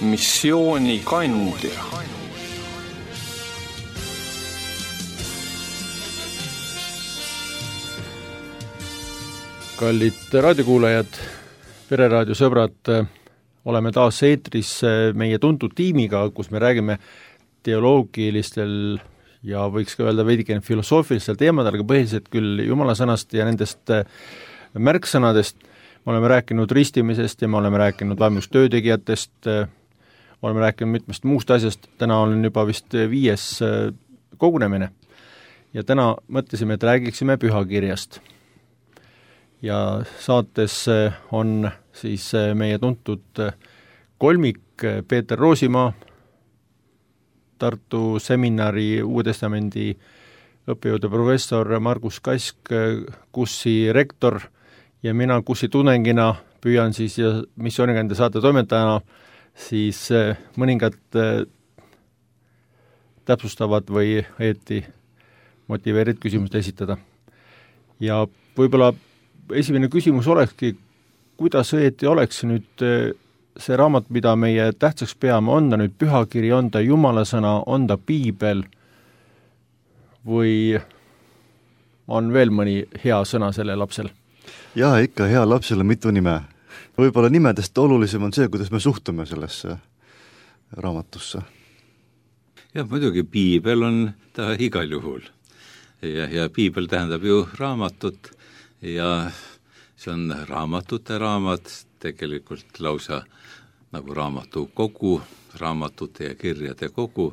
missiooni kandja. Kallid raadiokuulajad, Pereraadio sõbrad, oleme taas eetris meie tuntud tiimiga, kus me räägime teoloogilistel ja võiks ka öelda veidike filosoofilistel teemadel, aga põhiliselt küll Jumala sõnast ja nendest märksõnadest. Me oleme rääkinud ristimisest ja me oleme rääkinud vaimust töötegijatest, oleme rääkinud mitmest muust asjast. Täna on juba vist 5. kogunemine ja täna mõtlesime, et räägiksime pühakirjast. Ja saates on siis meie tuntud kolmik Peeter Roosimaa, Tartu seminari Uue Testamendi õppejõude professor Margus Kask, KUSi rektor ja mina KUSi tudengina püüan siis ja missioonikäinde saate toimetajana siis mõningad täpsustavad või õieti motiveerid küsimust esitada. Ja võib-olla esimene küsimus olekski, kuidas õieti oleks nüüd see raamat, mida meie tähtsaks peame, on ta nüüd pühakiri, on ta Jumala sõna, on ta piibel või on veel mõni hea sõna selle lapsel? Jaa, ikka hea lapsel on mitu nime. Võib-olla nimedest olulisem on see, kuidas me suhtume sellesse raamatusse. Ja muidugi piibel on ta igal juhul. Ja piibel tähendab ju raamatut ja see on raamatute raamat, tegelikult lausa nagu raamatu kogu, raamatute ja kirjade kogu.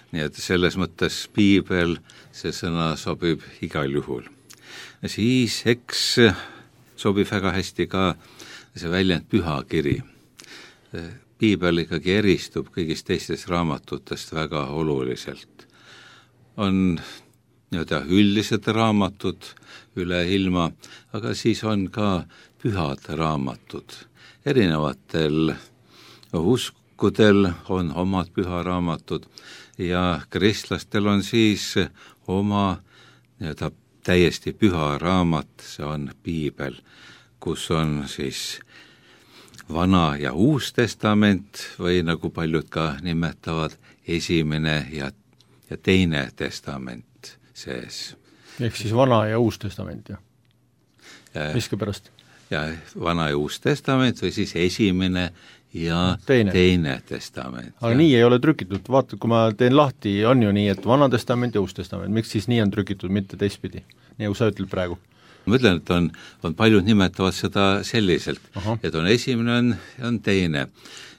Nii et selles mõttes piibel, see sõna sobib igal juhul. Siis eks sobib väga hästi ka see väljend pühakiri. Piibel ikkagi eristub kõigist teistest raamatutest väga oluliselt. On nii-öelda üldised raamatud üle ilma, aga siis on ka pühad raamatud. Erinevatel uskudel on omad püharaamatud ja kristlastel on siis oma nii-öelda täiesti püha raamat, see on piibel, kus on siis Vana ja Uus Testament või nagu paljud ka nimetavad esimene ja teine testament sees. Ehk siis Vana ja Uus Testament, jah? Miski pärast? Ja Vana ja Uus Testament või siis esimene ja teine testament. Aga nii ei ole trükitud, vaata, kui ma teen lahti, on ju nii, et Vana Testament ja Uus Testament, miks siis nii on trükitud, mitte teistpidi, nii kui sa ütled praegu? Ma ütlen, et on paljud nimetavad seda selliselt, et on esimene, on teine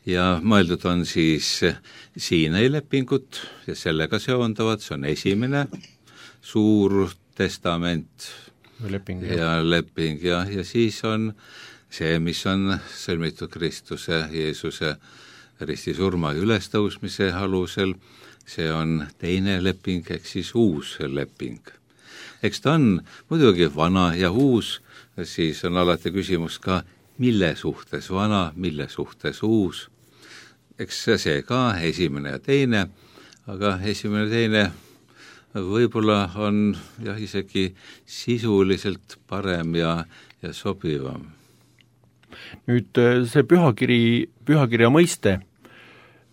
ja mõeldud on siis Siinai lepingut ja sellega seonduvad, see on esimene suur testament leping ja siis on see, mis on sõlmitud Kristuse, Jeesuse ristisurma ja ülestõusmise alusel, see on teine leping, ehk siis uus leping. Eks ta on muidugi vana ja uus, siis on alati küsimus ka, mille suhtes vana, mille suhtes uus. Eks see ka esimene ja teine, aga esimene ja teine võib-olla on isegi sisuliselt parem ja sobivam. Nüüd see pühakirja mõiste,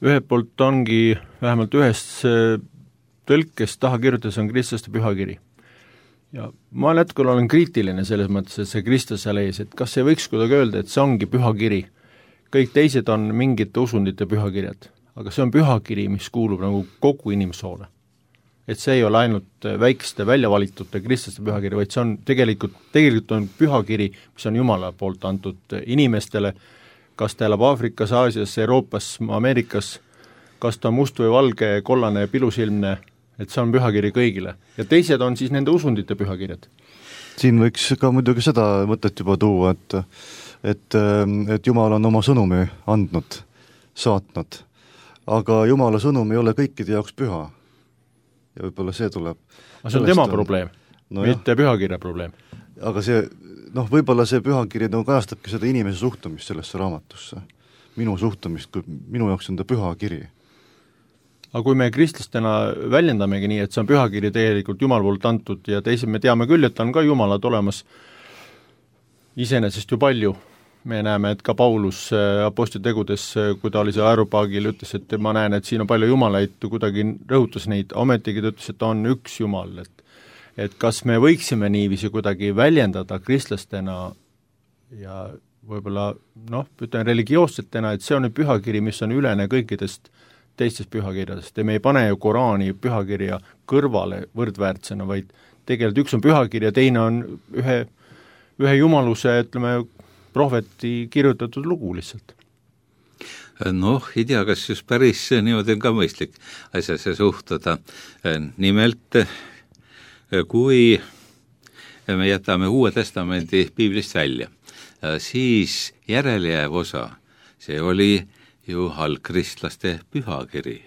ühelt poolt ongi vähemalt ühes tõlkes taha kirjutades on kristlaste pühakiri. Ja ma jätkul olen kriitiline selles mõttes, et see Kristus seal ees, et kas ei võiks kuidagi öelda, et see ongi pühakiri. Kõik teised on mingite usundite pühakirjad, aga see on pühakiri, mis kuulub nagu kogu inimsoole. Et see ei ole ainult väikeste väljavalitute kristlaste pühakiri, vaid see on tegelikult on pühakiri, mis on Jumala poolt antud inimestele, kas ta elab Aafrikas, Aasias, Euroopas, Ameerikas, kas ta on must või valge, kollane, pilusilmne, et see on pühakiri kõigile. Ja teised on siis nende usundite pühakirjad. Siin võiks ka muidugi seda mõtet juba tuua, et Jumal on oma sõnumi andnud, saatnud, aga Jumala sõnum ei ole kõikide jaoks püha. Ja võib-olla see tuleb. Aga see on tema probleem, mitte pühakirja probleem. Aga see, võib-olla see pühakiri kajastabki seda inimese suhtumist sellesse raamatusse. Minu suhtumist, minu jaoks on ta pühakiri. Aga kui me kristlastena väljendamegi nii, et see on pühakiri tegelikult Jumal poolt antud ja teised me teame küll, et on ka Jumalad olemas iseenesest ju palju, me näeme, et ka Paulus apostlitegudes, kui ta oli see aeropaagil, ütles, et ma näen, et siin on palju jumalaid, kuidagi rõhutas neid, ometigi ta ütles, et on üks jumal, et kas me võiksime niiviisi kuidagi väljendada kristlastena ja võib-olla ütlen religioossetena, et see on nüüd pühakiri, mis on ülene kõikidest teistest pühakirjadest ja me ei pane ju Koraani pühakirja kõrvale võrdväärtsena, vaid tegelikult üks on pühakiri ja teine on ühe jumaluse, ütleme, prohveti kirjutatud lugu lihtsalt. Ei tea, kas just päris niimoodi on ka mõistlik asjasse suhtuda. Nimelt, kui me jätame Uue Testamendi piiblist välja, siis järelejääv osa, see oli ju algkristlaste pühakiri.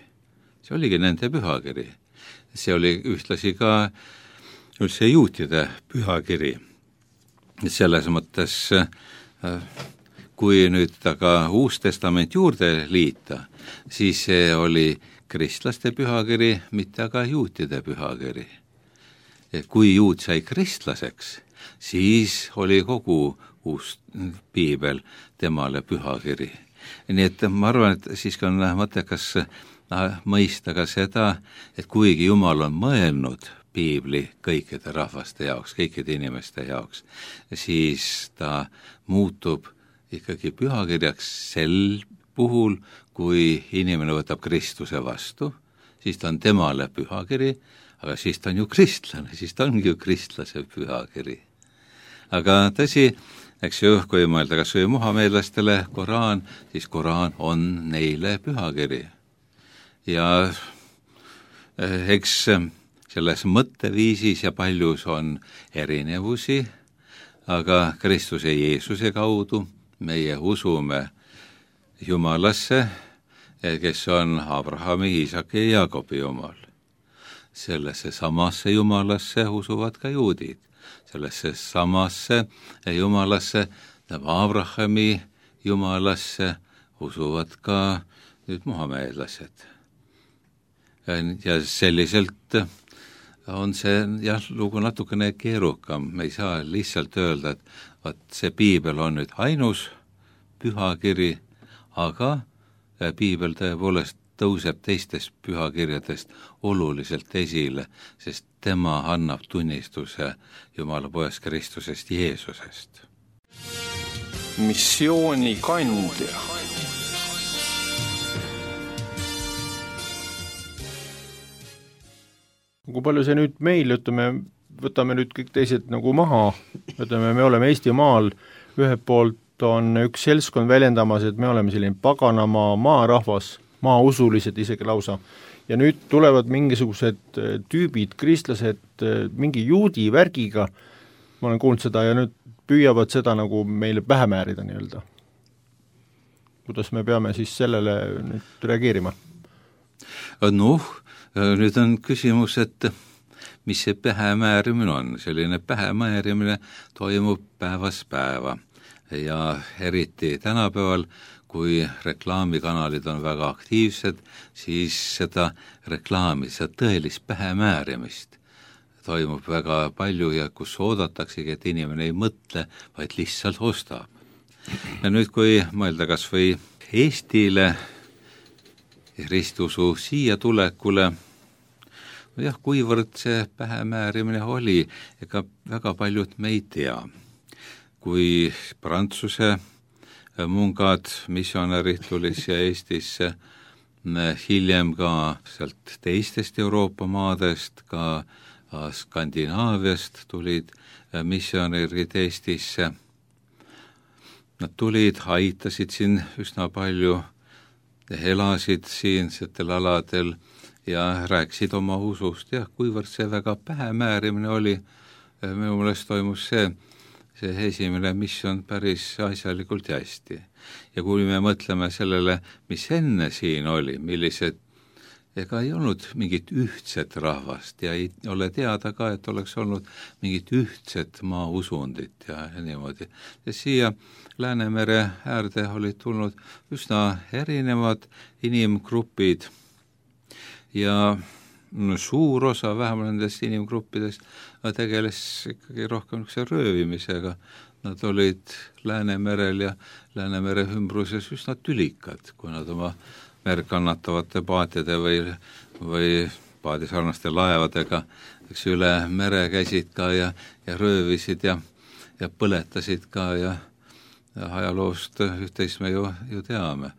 See oligi nende pühakiri. See oli ühtlasi ka üldse juutide pühakiri. Selles mõttes, kui nüüd aga Uus Testament juurde liita, siis see oli kristlaste pühakiri, mitte aga juutide pühakiri. Kui juut sai kristlaseks, siis oli kogu uus piibel temale pühakiri. Nii et ma arvan, et siiski on mõttekas mõista ka seda, et kuigi Jumal on mõelnud piibli kõikide rahvaste jaoks, kõikide inimeste jaoks, siis ta muutub ikkagi pühakirjaks sel puhul, kui inimene võtab Kristuse vastu, siis ta on temale pühakiri, aga siis ta on ju kristlane, siis ta ongi ju kristlase pühakiri. Aga tõsi, eks ju, kui mõelda kas või muhameedlastele Koraan, siis Koraan on neile pühakiri. Ja eks selles mõtteviisis ja paljus on erinevusi, aga Kristuse Jeesuse kaudu meie usume Jumalasse, kes on Abrahami, Iisaki ja Jaakobi Jumal. Sellesse samasse Jumalasse usuvad ka juudid. Sellesse samasse Jumalasse, Abrahami Jumalasse usuvad ka nüüd muhameedlased. Ja selliselt on see lugu natukene keerukam. Me ei saa lihtsalt öelda, et see piibel on nüüd ainus pühakiri, aga piibel tõepoolest tõuseb teistest pühakirjadest oluliselt esile, sest tema annab tunnistuse Jumala poest Kristusest Jeesusest. Missiooni kandja. Kui palju see nüüd meil, võtame nüüd kõik teised nagu maha, me oleme Eestimaal, ühelt poolt on üks seltskond väljendamas, et me oleme selline paganamaa, maarahvas, maausulised isegi lausa, ja nüüd tulevad mingisugused tüübid, kristlased, mingi juudi värgiga, ma olen kuulnud seda, ja nüüd püüavad seda nagu meile pähe määrida nii-öelda. Kuidas me peame siis sellele nüüd reageerima? Nüüd on küsimus, et mis see pähemäärimine on. Selline pähemäärimine toimub päevast päeva ja eriti tänapäeval, kui reklaamikanalid on väga aktiivsed, siis seda reklaami, seda tõelist pähemäärimist toimub väga palju ja kus oodataksegi, et inimene ei mõtle, vaid lihtsalt ostab. Ja nüüd, kui mõelda kas või Eestile, ristusu siia tulekule, kuivõrd see pähemäärimine oli, ega väga paljud me ei tea. Kui Prantsuse mungad, missionärid tulid siia Eestisse, hiljem ka sealt teistest Euroopa maadest, ka Skandinaaviast tulid missionärid Eestisse. Nad tulid, aitasid siin üsna palju, elasid siinsetel aladel ja rääkisid oma usust ja kuivõrd see väga pähemäärimine oli, minu meelest toimus see esimene missioon päris asjalikult ja hästi. Ja kui me mõtleme sellele, mis enne siin oli, millised, ega ei olnud mingit ühtset rahvast ja ei ole teada ka, et oleks olnud mingit ühtset maausundit ja niimoodi. Ja siia Läänemere äärde olid tulnud üsna erinevad inimgrupid ja suur osa vähemalt nendest inimgruppidest tegeles ikkagi rohkem röövimisega. Nad olid Läänemerel ja Läänemere ümbruses üsna tülikad, kui nad oma merd kannatavate paatide või paadisarnaste laevadega üle mere käisid ka ja röövisid ja põletasid ka ja ajaloost üht-teist me ju teame.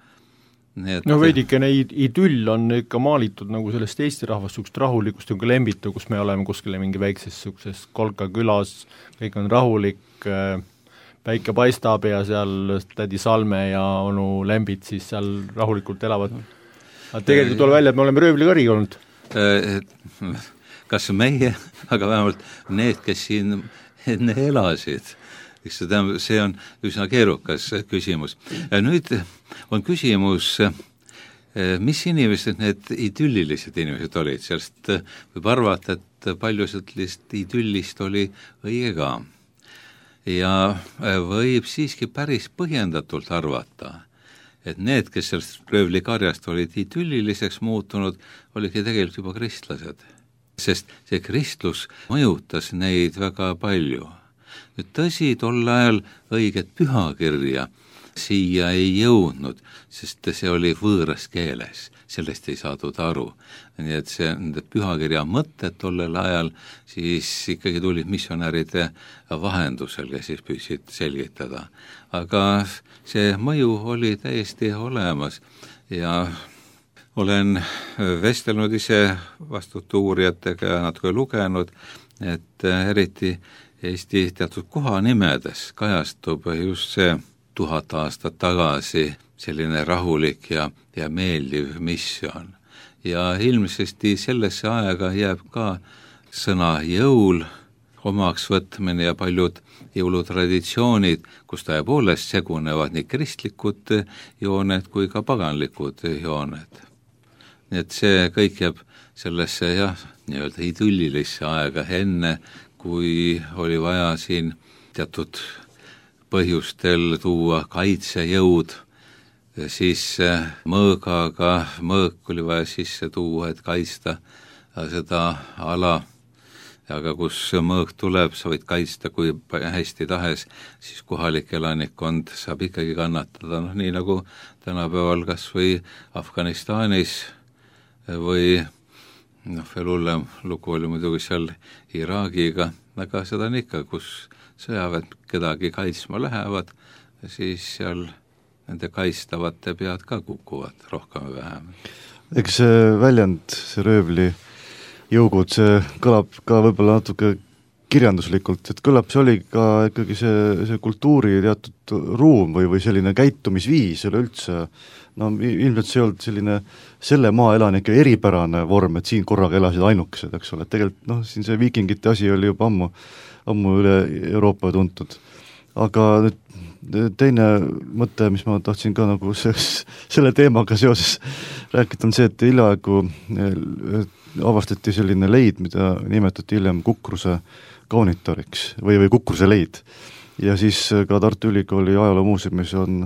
No veidikene idüll on ikka maalitud nagu sellest Eesti rahvast sukust rahulikust nagu Lembitu, kus me oleme kuskile mingi väikses suksses Kolka külas, kõik on rahulik, päike paistab ja seal tädi Salme ja onu Lembit siis seal rahulikult elavad. Aga tegelikult tuleb välja, et me oleme röövlikari olnud. Kas meie, aga vähemalt need, kes siin enne elasid, see on üsna keerukas küsimus. Nüüd on küsimus, mis inimesed need idüllilised inimesed olid, sellest võib arvata, et palju sellist idüllist oli õige ka. Ja võib siiski päris põhjendatult arvata, et need, kes sellest röövlikarjast olid idülliliseks muutunud, olidki tegelikult juba kristlased. Sest see kristlus mõjutas neid väga palju. Nüüd tõsi, tol ajal õiget pühakirja siia ei jõudnud, sest see oli võõras keeles, sellest ei saadud aru. Nii et see pühakirja mõtted tollel ajal siis ikkagi tulid missionäride vahendusel, kes siis püüdsid selgitada. Aga see mõju oli täiesti olemas ja olen vestelnud ise vastute uurijatega ja natuke lugenud, et eriti Eesti teatud kohanimedes kajastub just see 1000 aastat tagasi selline rahulik ja meeldiv missioon. Ja ilmsesti sellesse aega jääb ka sõna jõul, omaks võtmine ja paljud jõulutraditsioonid, kus tõepoolest segunevad nii kristlikud jooned kui ka paganlikud jooned. Nii et see kõik jääb sellesse nii-öelda idüllilisse aega enne, kui oli vaja siin teatud põhjustel tuua kaitsejõud, siis mõõk oli vaja sisse tuua, et kaitsta seda ala, aga kus mõõk tuleb, sa võid kaitsta kui hästi tahes, siis kohalik elanikkond saab ikkagi kannatada, nii nagu tänapäeval kas või Afganistanis või veel hullem lugu oli muidugi seal Iraagiga, aga seda on ikka, kus sõjaväed kedagi kaitsma lähevad, siis seal nende kaitstavate pead ka kukuvad rohkem või vähem. Eks see väljend, see röövli jõugud, see kõlab ka võib-olla natuke kirjanduslikult, et kõlab, see oli ka ikkagi see kultuuri teatud ruum või selline käitumisviis üleüldse, no ilmselt see ei olnud selline selle maaelanike eripärane vorm, et siin korraga elasid ainukesed, eks ole, et tegelikult siin see viikingite asi oli juba ammu üle Euroopa tuntud. Aga nüüd teine mõte, mis ma tahtsin ka nagu selle teemaga seoses rääkida, on see, et hiljaaegu avastati selline leid, mida nimetati hiljem Kukruse kaunitoriks või Kukruse leid. Ja siis ka Tartu Ülikooli ajaloomuuseumis on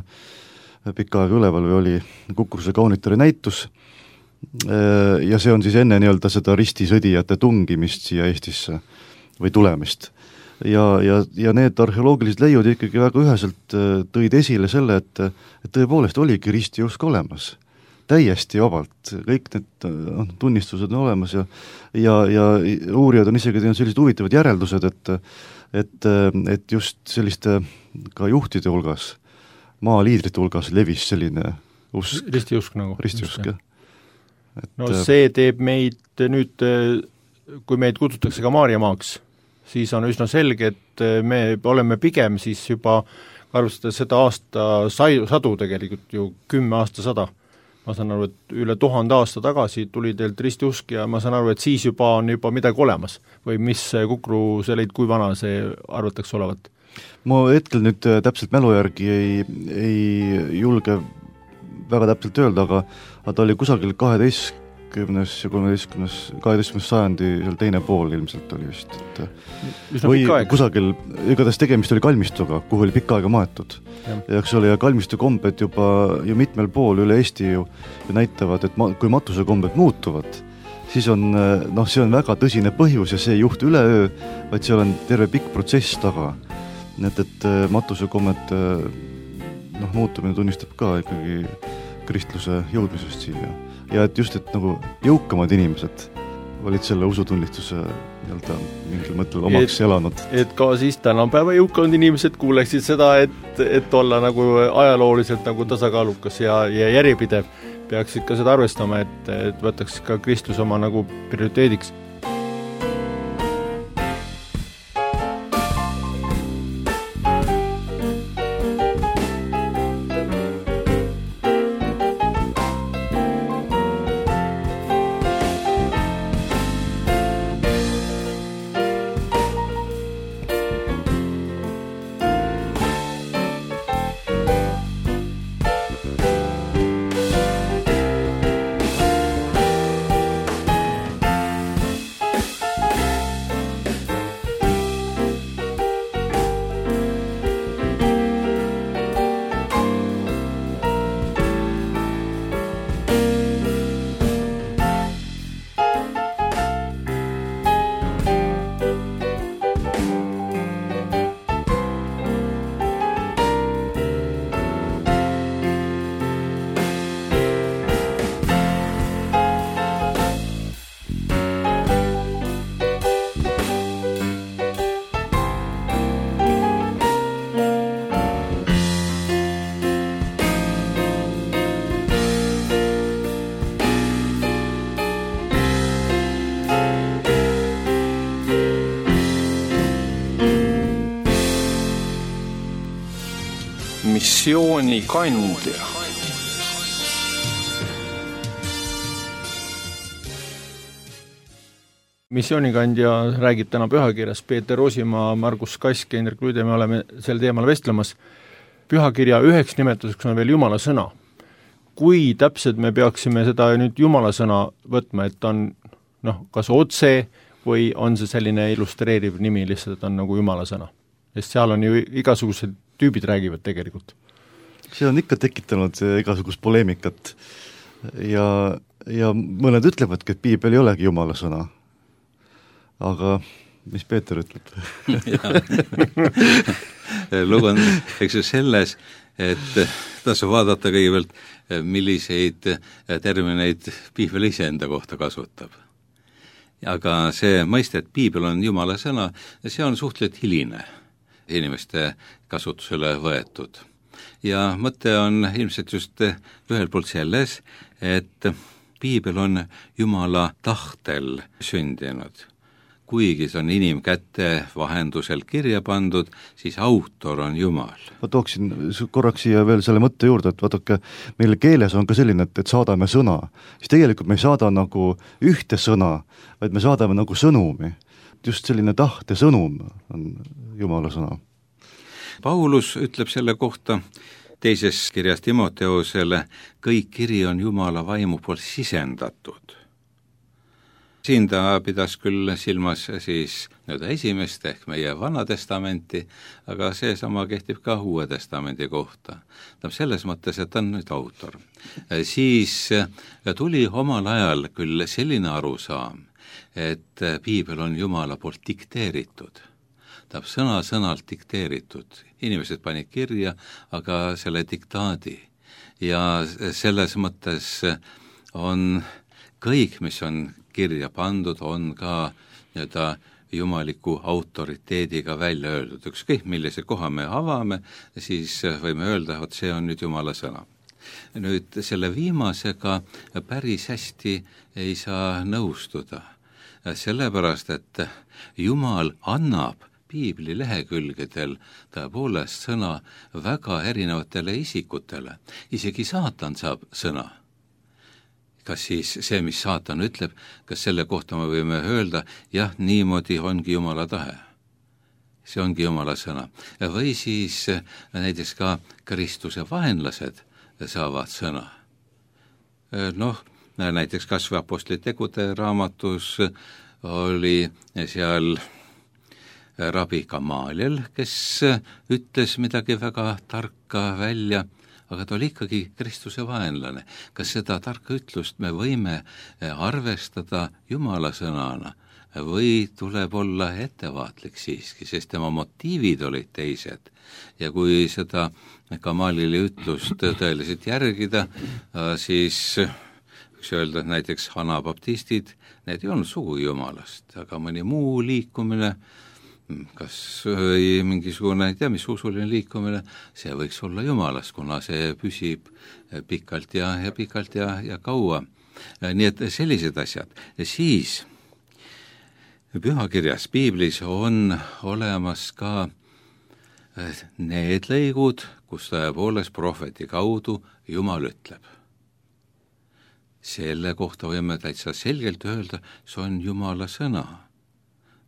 pikka aega üleval või oli Kukruse kaunitori näitus ja see on siis enne nii-öelda seda ristisõdijate tungimist siia Eestisse või tulemist. Ja need arheoloogilised leiud ikkagi väga üheselt tõid esile selle, et tõepoolest oligi ristiusk olemas. Täiesti vabalt, kõik need tunnistused on olemas ja uurijad on isegi teinud sellised huvitavad järeldused, et just selliste ka juhtide hulgas, maaliidrite hulgas levis selline usk. Ristiusk nagu. Ristiusk, jah. No see teeb meid nüüd, kui meid kutsutakse ka Maarjamaaks, siis on üsna selge, et me oleme pigem siis juba arvestades seda aasta sadu tegelikult ju 10 aastasada. Ma saan aru, et üle 1000 aasta tagasi tuli teilt ristiusk ja ma saan aru, et siis juba on juba midagi olemas või mis Kukru selleid, kui vana see arvatakse olevat? Ma hetkel nüüd täpselt mälu järgi ei julge väga täpselt öelda, aga ta oli kusagil 12. ja 12. sajandi teine pool ilmselt oli vist. Või kusagil, igatahes tegemist oli kalmistuga, kuhu oli pikka aega maetud. Ja eks oli, ja kalmistu kombed juba ju mitmel pool üle Eesti ju näitavad, et kui matuse kombed muutuvad, siis on see on väga tõsine põhjus ja see ei juhtu üleöö, vaid seal on terve pikk protsess taga. Et matusekommet muutumine tunnistab ka ikkagi kristluse jõudmisest siia. Ja et just, et nagu jõukamad inimesed olid selle usutunnistuse mingil mõttel omaks elanud. Et ka siis tänapäeva jõukanud inimesed kuuleksid seda, et olla nagu ajalooliselt nagu tasakaalukas ja järjepidev, peaksid ka seda arvestama, et võtaks ka kristlus oma nagu prioriteediks. Missioonikandja. Missioonikandja räägib täna pühakirjas. Peeter Osimaa, Margus Kask ja Indrek Luide, me oleme sel teemal vestlemas. Pühakirja üheks nimetuseks on veel Jumala sõna. Kui täpselt me peaksime seda nüüd Jumala sõna võtma, et on kas otse või on see selline illustreeriv nimi, lihtsalt on nagu Jumala sõna? Sest seal on ju igasugused tüübid räägivad tegelikult. See on ikka tekitanud igasugust poleemikat ja mõned ütlevadki, et piibel ei olegi Jumala sõna. Aga mis Peeter ütleb? Lugu on selles, et tasu vaadata kõigepealt, milliseid termineid piibel ise enda kohta kasutab. Aga see mõiste, et piibel on Jumala sõna, see on suhteliselt hiline inimeste kasutusele võetud. Ja mõte on ilmselt just ühel poolt selles, et piibel on Jumala tahtel sündinud. Kuigi see on inimkäte vahendusel kirja pandud, siis autor on Jumal. Ma tooksin korraks siia veel selle mõtte juurde, et vaadake, meil keeles on ka selline, et saadame sõna. Siis tegelikult me ei saada nagu ühte sõna, vaid me saadame nagu sõnumi. Just selline tahte sõnum on Jumala sõna. Paulus ütleb selle kohta teises kirjas Timoteusele, kõik kiri on Jumala vaimu poolt sisendatud. Siin ta pidas küll silmas siis esimest ehk meie Vana Testamenti, aga see sama kehtib ka Uue Testamendi kohta. Selles mõttes, et on nüüd autor. Siis tuli omal ajal küll selline arusaam, et piibel on Jumala poolt dikteeritud. Ta on sõna-sõnalt dikteeritud. Inimesed panid kirja, aga selle diktaadi. Ja selles mõttes on kõik, mis on kirja pandud, on ka jumaliku autoriteediga välja öeldud. Ükskõik millise koha me avame, siis võime öelda, et see on nüüd Jumala sõna. Nüüd selle viimasega päris hästi ei saa nõustuda. Sellepärast, et Jumal annab piibli lehekülgedel tõepoolest sõna väga erinevatele isikutele. Isegi saatan saab sõna. Kas siis see, mis saatan ütleb, kas selle kohta me võime öelda, jah, niimoodi ongi Jumala tahe. See ongi Jumala sõna. Või siis näiteks ka Kristuse vaenlased saavad sõna. Näiteks kas või Apostlite tegude raamatus oli seal Rabi Gamaliel, kes ütles midagi väga tarka välja aga ta oli ikkagi Kristuse vaenlane. Kas seda tarka ütlust me võime arvestada Jumala sõnana või tuleb olla ettevaatlik siiski, sest tema motiivid olid teised ja kui seda Gamalili ütlust tõeliselt järgida, siis võiks öelda, et näiteks anabaptistid, need ei olnud sugu Jumalast, aga mõni muu liikumine, kas mingisugune, ei tea, mis usuline liikumine, see võiks olla Jumalast, kuna see püsib pikalt ja kaua. Nii et sellised asjad. Ja siis pühakirjas, piiblis on olemas ka need lõigud, kus tõepoolest prohveti kaudu Jumal ütleb. Selle kohta võime täitsa selgelt öelda, see on Jumala sõna.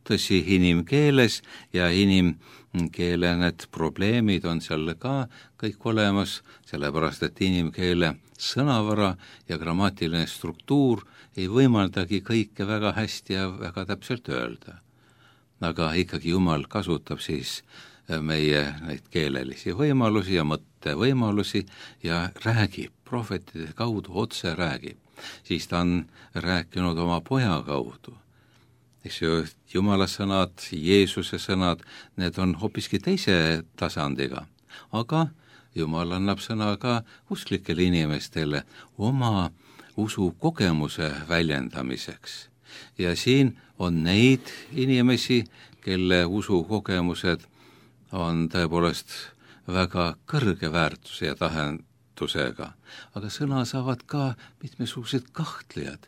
Tõsi, inimkeeles ja inimkeele need probleemid on seal ka kõik olemas, sellepärast et inimkeele sõnavara ja grammatiline struktuur ei võimaldagi kõike väga hästi ja väga täpselt öelda. Aga ikkagi Jumal kasutab siis meie neid keelelisi võimalusi ja mõttevõimalusi ja räägib, prohvetide kaudu otse räägib. Siis ta on rääkinud oma poja kaudu. Eks ju, Jumala sõnad, Jeesuse sõnad, need on hoopiski teise tasandiga. Aga Jumal annab sõna ka usklikele inimestele oma usukogemuse väljendamiseks. Ja siin on neid inimesi, kelle usukogemused on tõepoolest väga kõrge väärtuse ja tähendusega. Aga sõna saavad ka mitmesugused kahtlejad,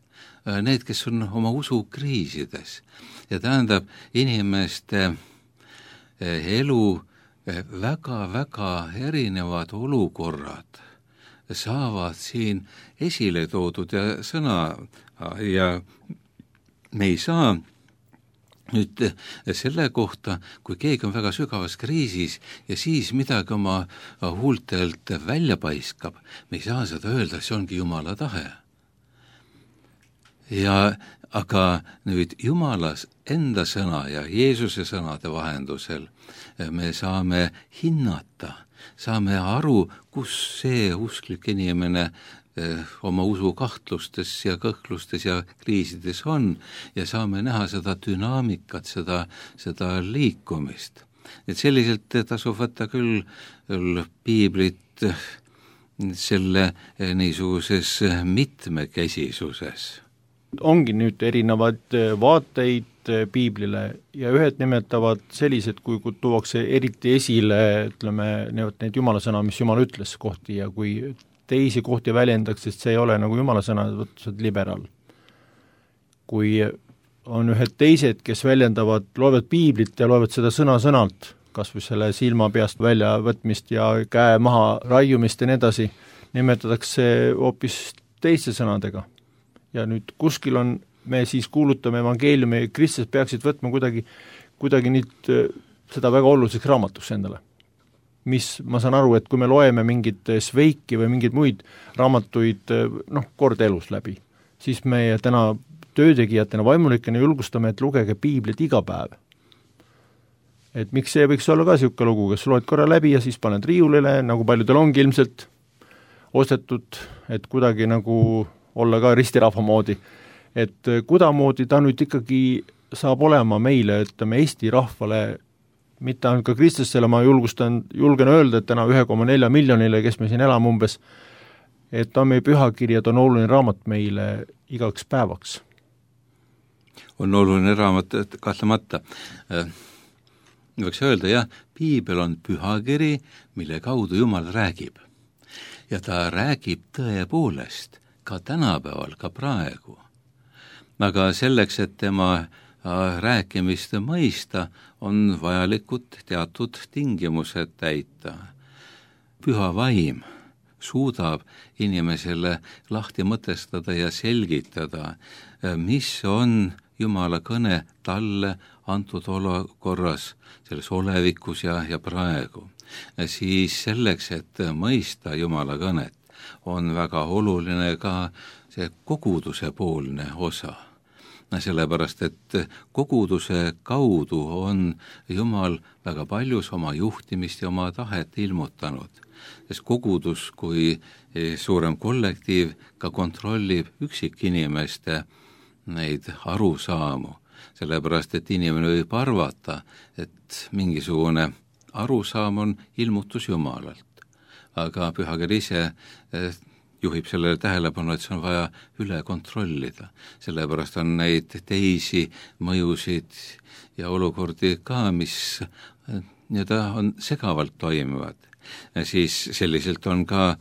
need, kes on oma usukriisides. Ja tähendab, inimeste elu väga-väga erinevad olukorrad saavad siin esile toodud ja sõna ja me ei saa nüüd selle kohta, kui keegi on väga sügavas kriisis ja siis midagi oma huultelt välja paiskab, me ei saa seda öelda, see ongi Jumala tahe. Aga nüüd Jumalas enda sõna ja Jeesuse sõnade vahendusel me saame hinnata, saame aru, kus see usklik inimene oma usu kahtlustes ja kõhklustes ja kriisides on ja saame näha seda dünaamikat, seda liikumist. Et selliselt tasub võtta küll piiblit selle niisuguses mitmekesisuses. Ongi nüüd erinevad vaateid piiblile ja ühed nimetavad sellised, kui tuuakse eriti esile, ütleme, need Jumala sõna, mis Jumal ütles kohti ja kui teisi kohti väljendaks, sest see ei ole nagu Jumala sõna, võttused liberaal. Kui on ühed teised, kes väljendavad, loevad piiblit ja loevad seda sõna-sõnalt, kas või selle silma peast väljavõtmist ja käe maha raiumist ja nii edasi, nimetatakse hoopis teiste sõnadega. Ja nüüd kuskil on, me siis kuulutame evangeeliumi, kristlased peaksid võtma kuidagi nüüd seda väga oluliseks raamatuks endale. Mis, ma saan aru, et kui me loeme mingit Sveiki või mingeid muid raamatuid, kord elus läbi, siis me täna töötegijatena, vaimulikena julgustame, et lugege piiblit iga päev. Et miks see võiks olla ka niisugune lugu, kes loed korra läbi ja siis paned riiulile, nagu paljudel ongi ilmselt ostetud, et kuidagi nagu olla ka ristirahva moodi. Et kudamoodi ta nüüd ikkagi saab olema meile, ütleme Eesti rahvale, mitte ainult ka kristlastele, ma julgen öelda, et täna 1,4 miljonile, kes me siin elame umbes, et on meie pühakirjad, on oluline raamat meile igaks päevaks. On oluline raamat, kahtlemata. Võiks öelda, jah, piibel on pühakiri, mille kaudu Jumal räägib. Ja ta räägib tõepoolest ka tänapäeval, ka praegu. Aga selleks, et tema rääkimist mõista, on vajalikud teatud tingimused täita. Püha vaim suudab inimesele lahti mõtestada ja selgitada, mis on Jumala kõne talle antud olukorras, selles olevikus ja praegu. Siis selleks, et mõista Jumala kõnet, on väga oluline ka see koguduse poolne osa. sellepärast et koguduse kaudu on Jumal väga paljus oma juhtimist ja oma tahet ilmutanud, sest kogudus kui suurem kollektiiv ka kontrollib üksikinimeste neid arusaamu, sellepärast et inimene võib arvata, et mingisugune arusaam on ilmutus Jumalalt, aga pühakiri ise juhib sellele tähelepanu, et see on vaja üle kontrollida, sellepärast on neid teisi mõjusid ja olukordi ka, mis nii-öelda on segavalt toimivad. Siis selliselt on ka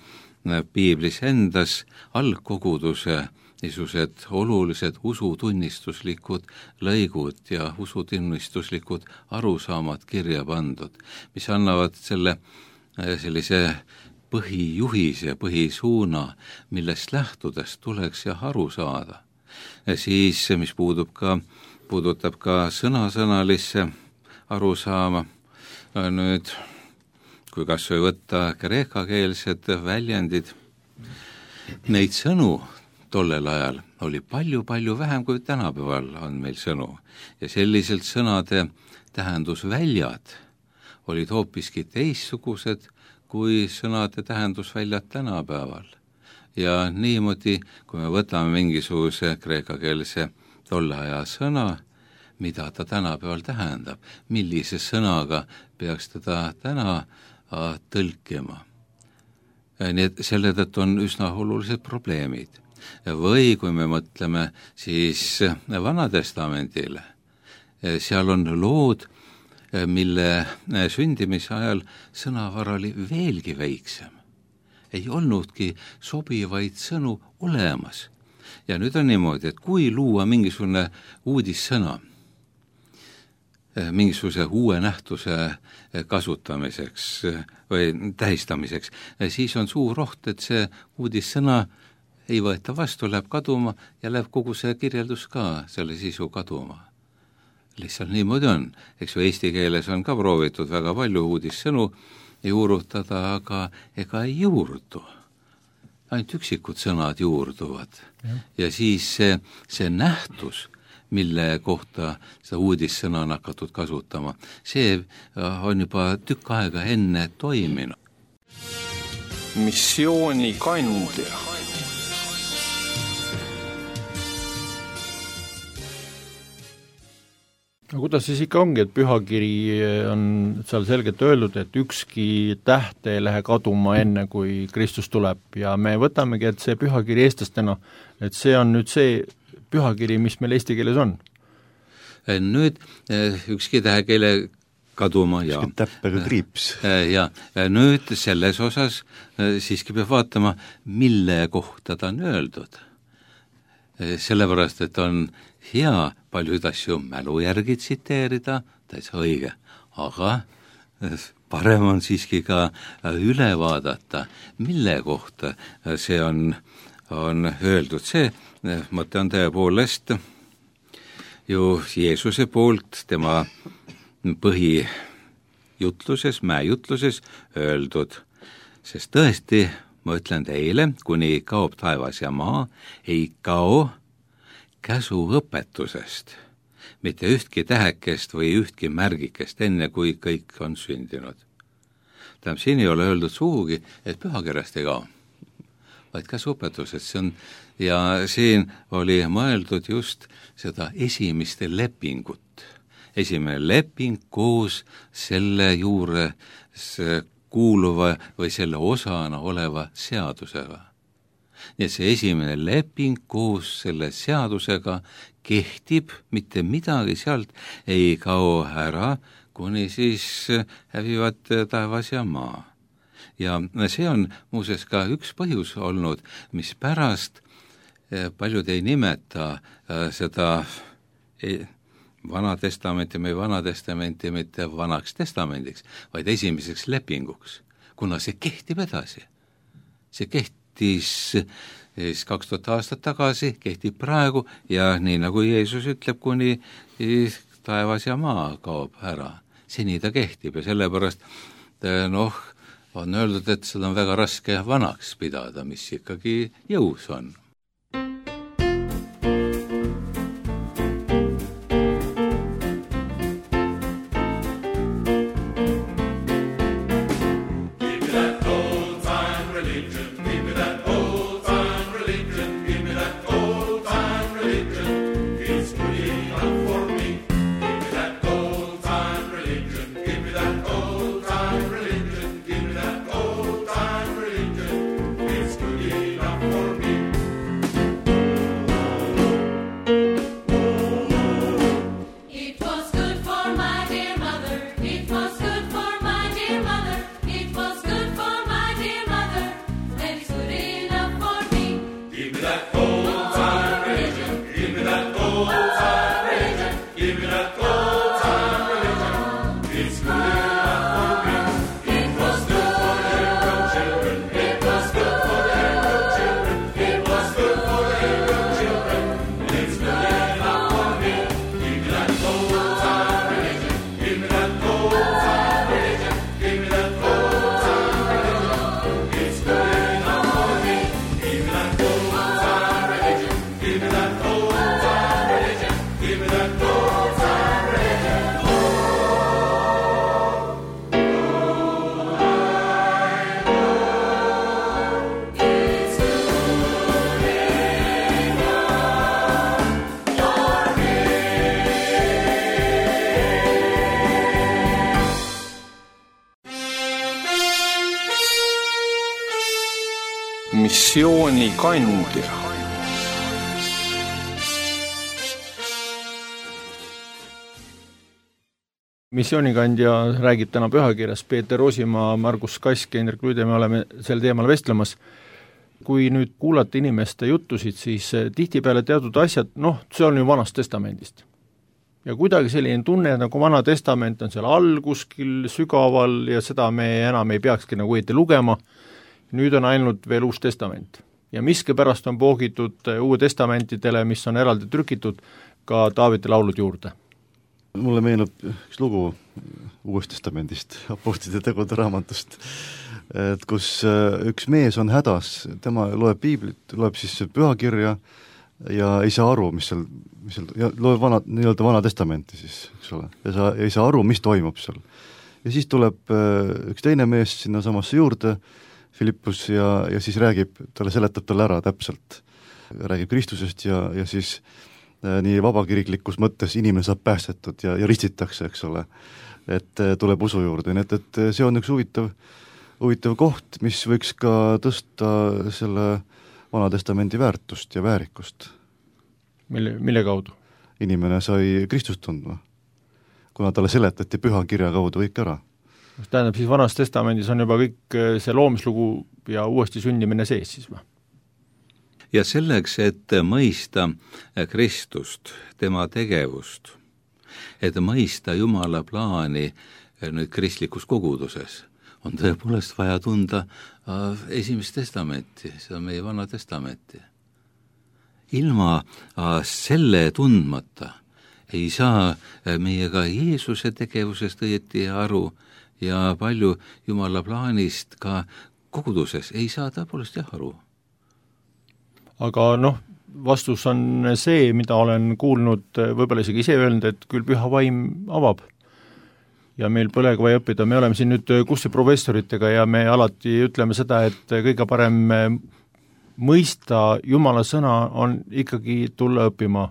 piiblis endas algkoguduse niisugused olulised usutunnistuslikud lõigud ja usutunnistuslikud arusaamad kirja pandud, mis annavad sellise põhijuhise, põhisuuna, millest lähtudes tuleks ja aru saada. Siis, mis puudutab ka sõnasõnalisse arusaama, nüüd kui kas või võtta kreekakeelsed väljendid, neid sõnu tollel ajal oli palju-palju vähem kui tänapäeval on meil sõnu ja selliselt sõnade tähendusväljad olid hoopiski teistsugused kui sõnade tähendusväljad tänapäeval. Ja niimoodi, kui me võtame mingisuguse kreekakeelse tolle aja sõna, mida ta tänapäeval tähendab, millise sõnaga peaks teda täna tõlkima. Nii et selle tõttu on üsna olulised probleemid. Või kui me mõtleme siis Vanatestamendile, seal on lood, mille sündimise ajal sõnavara oli veelgi väiksem. Ei olnudki sobivaid sõnu olemas. Ja nüüd on niimoodi, et kui luua mingisugune uudissõna, mingisuguse uue nähtuse kasutamiseks või tähistamiseks, siis on suur oht, et see uudissõna ei võeta vastu, läheb kaduma ja läheb kogu see kirjeldus ka, selle sisu kaduma. Lihtsalt niimoodi on. Eks ju eesti keeles on ka proovitud väga palju uudissõnu juurutada, aga ega ei juurdu. Ainult üksikud sõnad juurduvad. Ja siis see nähtus, mille kohta seda uudissõna on hakatud kasutama, see on juba tükk aega enne toiminud. Missiooni kandja. No kuidas siis ikka ongi, et pühakiri on seal selgelt öeldud, et ükski täht ei lähe kaduma enne, kui Kristus tuleb ja me võtamegi, et see pühakiri eestlastena, et see on nüüd see pühakiri, mis meil eesti keeles on. Nüüd ükski täheg ei lähe kaduma ja täppega kriips. Ja nüüd selles osas siiski peab vaatama, mille kohta ta on öeldud. Sellepärast, et on hea paljud asju mälu järgi tsiteerida, täitsa õige, aga parem on siiski ka üle vaadata, mille kohta see on öeldud. See mõte on tõepoolest ju Jeesuse poolt tema põhijutluses, mäejutluses öeldud, sest tõesti, ma ütlen teile, kuni kaob taevas ja maa, ei kao käsuõpetusest, mitte ühtki tähekest või ühtki märgikest, enne kui kõik on sündinud. Tähendab, siin ei ole öeldud sugugi, et pühakirjast ei kao, vaid käsuõpetusest. See on, ja siin oli mõeldud just seda esimeste lepingut. Esimene leping koos selle juures kuuluva või selle osana oleva seadusega. Nii et see esimene leping koos selle seadusega kehtib, mitte midagi sealt ei kao ära, kuni siis hävivad taevas ja maa. Ja see on muuseas ka üks põhjus olnud, mis pärast paljud ei nimeta seda Vanatestamenti mitte vanaks testamendiks, vaid esimeseks lepinguks, kuna see kehtib edasi. See kehtis 2000 aastat tagasi, kehtib praegu ja nii nagu Jeesus ütleb, kuni taevas ja maa kaob ära. Seni ta kehtib ja sellepärast on öeldud, et seda on väga raske vanaks pidada, mis ikkagi jõus on. missioonikandja. Missioonikandja räägib täna pühakirjas, Peeter Rosimaa, Margus Kask ja Indrek Lüüde, me oleme sel teemal vestlemas. Kui nüüd kuulata inimeste juttusid, siis tihtipeale teatud asjad, see on ju Vanast Testamendist. Ja kuidagi selline tunne, nagu Vana Testament on seal all kuskil sügaval ja seda me enam ei peakski nagu õieti lugema, nüüd on ainult veel Uus Testament. Ja miskipärast on poogitud Uue Testamentidele, mis on eraldi trükitud, ka Taaveti laulud juurde. Mulle meenub üks lugu Uuest Testamendist, Apostlite tegude raamatust, et kus üks mees on hädas, tema loeb piiblit, loeb siis pühakirja ja ei saa aru, mis seal ja loeb Vana Testamenti siis, eks ole, ja ei saa aru, mis toimub seal. Ja siis tuleb üks teine mees sinna samasse juurde, Filippus, ja siis seletab talle ära täpselt, räägib Kristusest ja siis nii vabakiriklikus mõttes inimene saab päästetud ja ristitakse, eks ole, et tuleb usu juurde, nii et see on üks huvitav koht, mis võiks ka tõsta selle Vana Testamendi väärtust ja väärikust. Mille kaudu? Inimene sai Kristust tundma, kuna talle seletati püha kirja kaudu kõik ära. Tähendab, siis Vanas Testamendis on juba kõik see loomislugu ja uuesti sündimine sees siis või? Ja selleks, et mõista Kristust, tema tegevust, et mõista Jumala plaani nüüd kristlikus koguduses, on tõepoolest vaja tunda Esimest Testamenti, seda meie Vana Testamenti. Ilma selle tundmata ei saa meie ka Jeesuse tegevusest õieti aru ja palju Jumala plaanist ka koguduses ei saa tõepoolest aru. Aga vastus on see, mida olen kuulnud, võib-olla isegi ise öelnud, et küll püha vaim avab. Ja meil põlega vaja õppida, me oleme siin nüüd kursi professoritega ja me alati ütleme seda, et kõige parem mõista Jumala sõna on ikkagi tulla õppima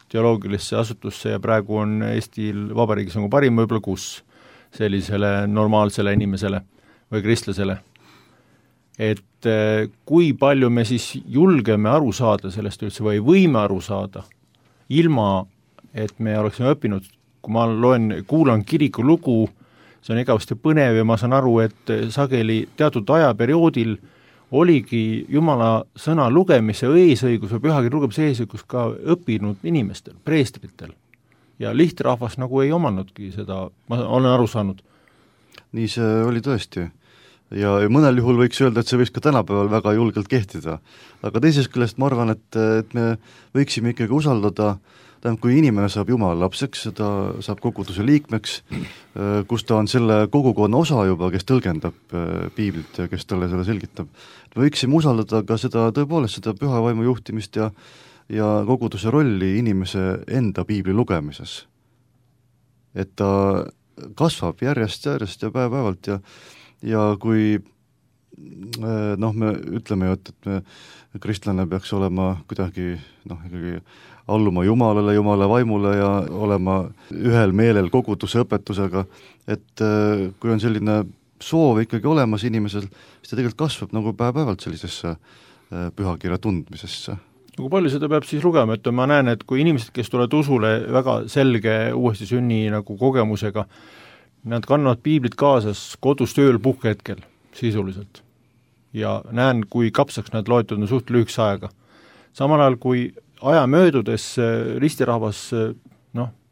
teoloogilisse asutusse ja praegu on Eestil Vabariigis nagu parim võib-olla kus sellisele normaalsele inimesele või kristlasele. Et kui palju me siis julgeme aru saada sellest üldse või võime aru saada, ilma et me oleksime õppinud, kui ma kuulan kiriku lugu, see on igavesti põnev ja ma saan aru, et sageli teatud ajaperioodil oligi Jumala sõna lugemise eesõigus või pühakirja lugemise eesõigus ka õppinud inimestel, preestritel. Ja lihtrahvas nagu ei omannudki seda, ma olen aru saanud. Nii see oli tõesti. Ja mõnel juhul võiks öelda, et see võiks ka tänapäeval väga julgelt kehtida. Aga teisest küljest ma arvan, et me võiksime ikkagi usaldada, kui inimene saab Jumala lapseks, ta saab koguduse liikmeks, kus ta on selle kogukonna osa juba, kes tõlgendab piiblit ja kes talle selle selgitab. Me võiksime usaldada ka seda tõepoolest seda püha vaimu juhtimist ja koguduse rolli inimese enda piibli lugemises. Et ta kasvab järjest ja päev-päevalt ja kui me ütleme ju, et me kristlane peaks olema kuidagi ikkagi alluma Jumalale, Jumala vaimule ja olema ühel meelel koguduse õpetusega, et kui on selline soov ikkagi olemas inimesel, siis ta tegelikult kasvab nagu päev-päevalt sellisesse pühakirja tundmisesse. Kui palju seda peab siis lugema, et ma näen, et kui inimesed, kes tulevad usule väga selge uuesti sünni nagu kogemusega, nad kannavad piiblit kaasas kodus tööl puhkehetkel sisuliselt ja näen, kui kapsaks nad loetud on suht lühikese aega. Samal ajal, kui aja möödudes ristirahvas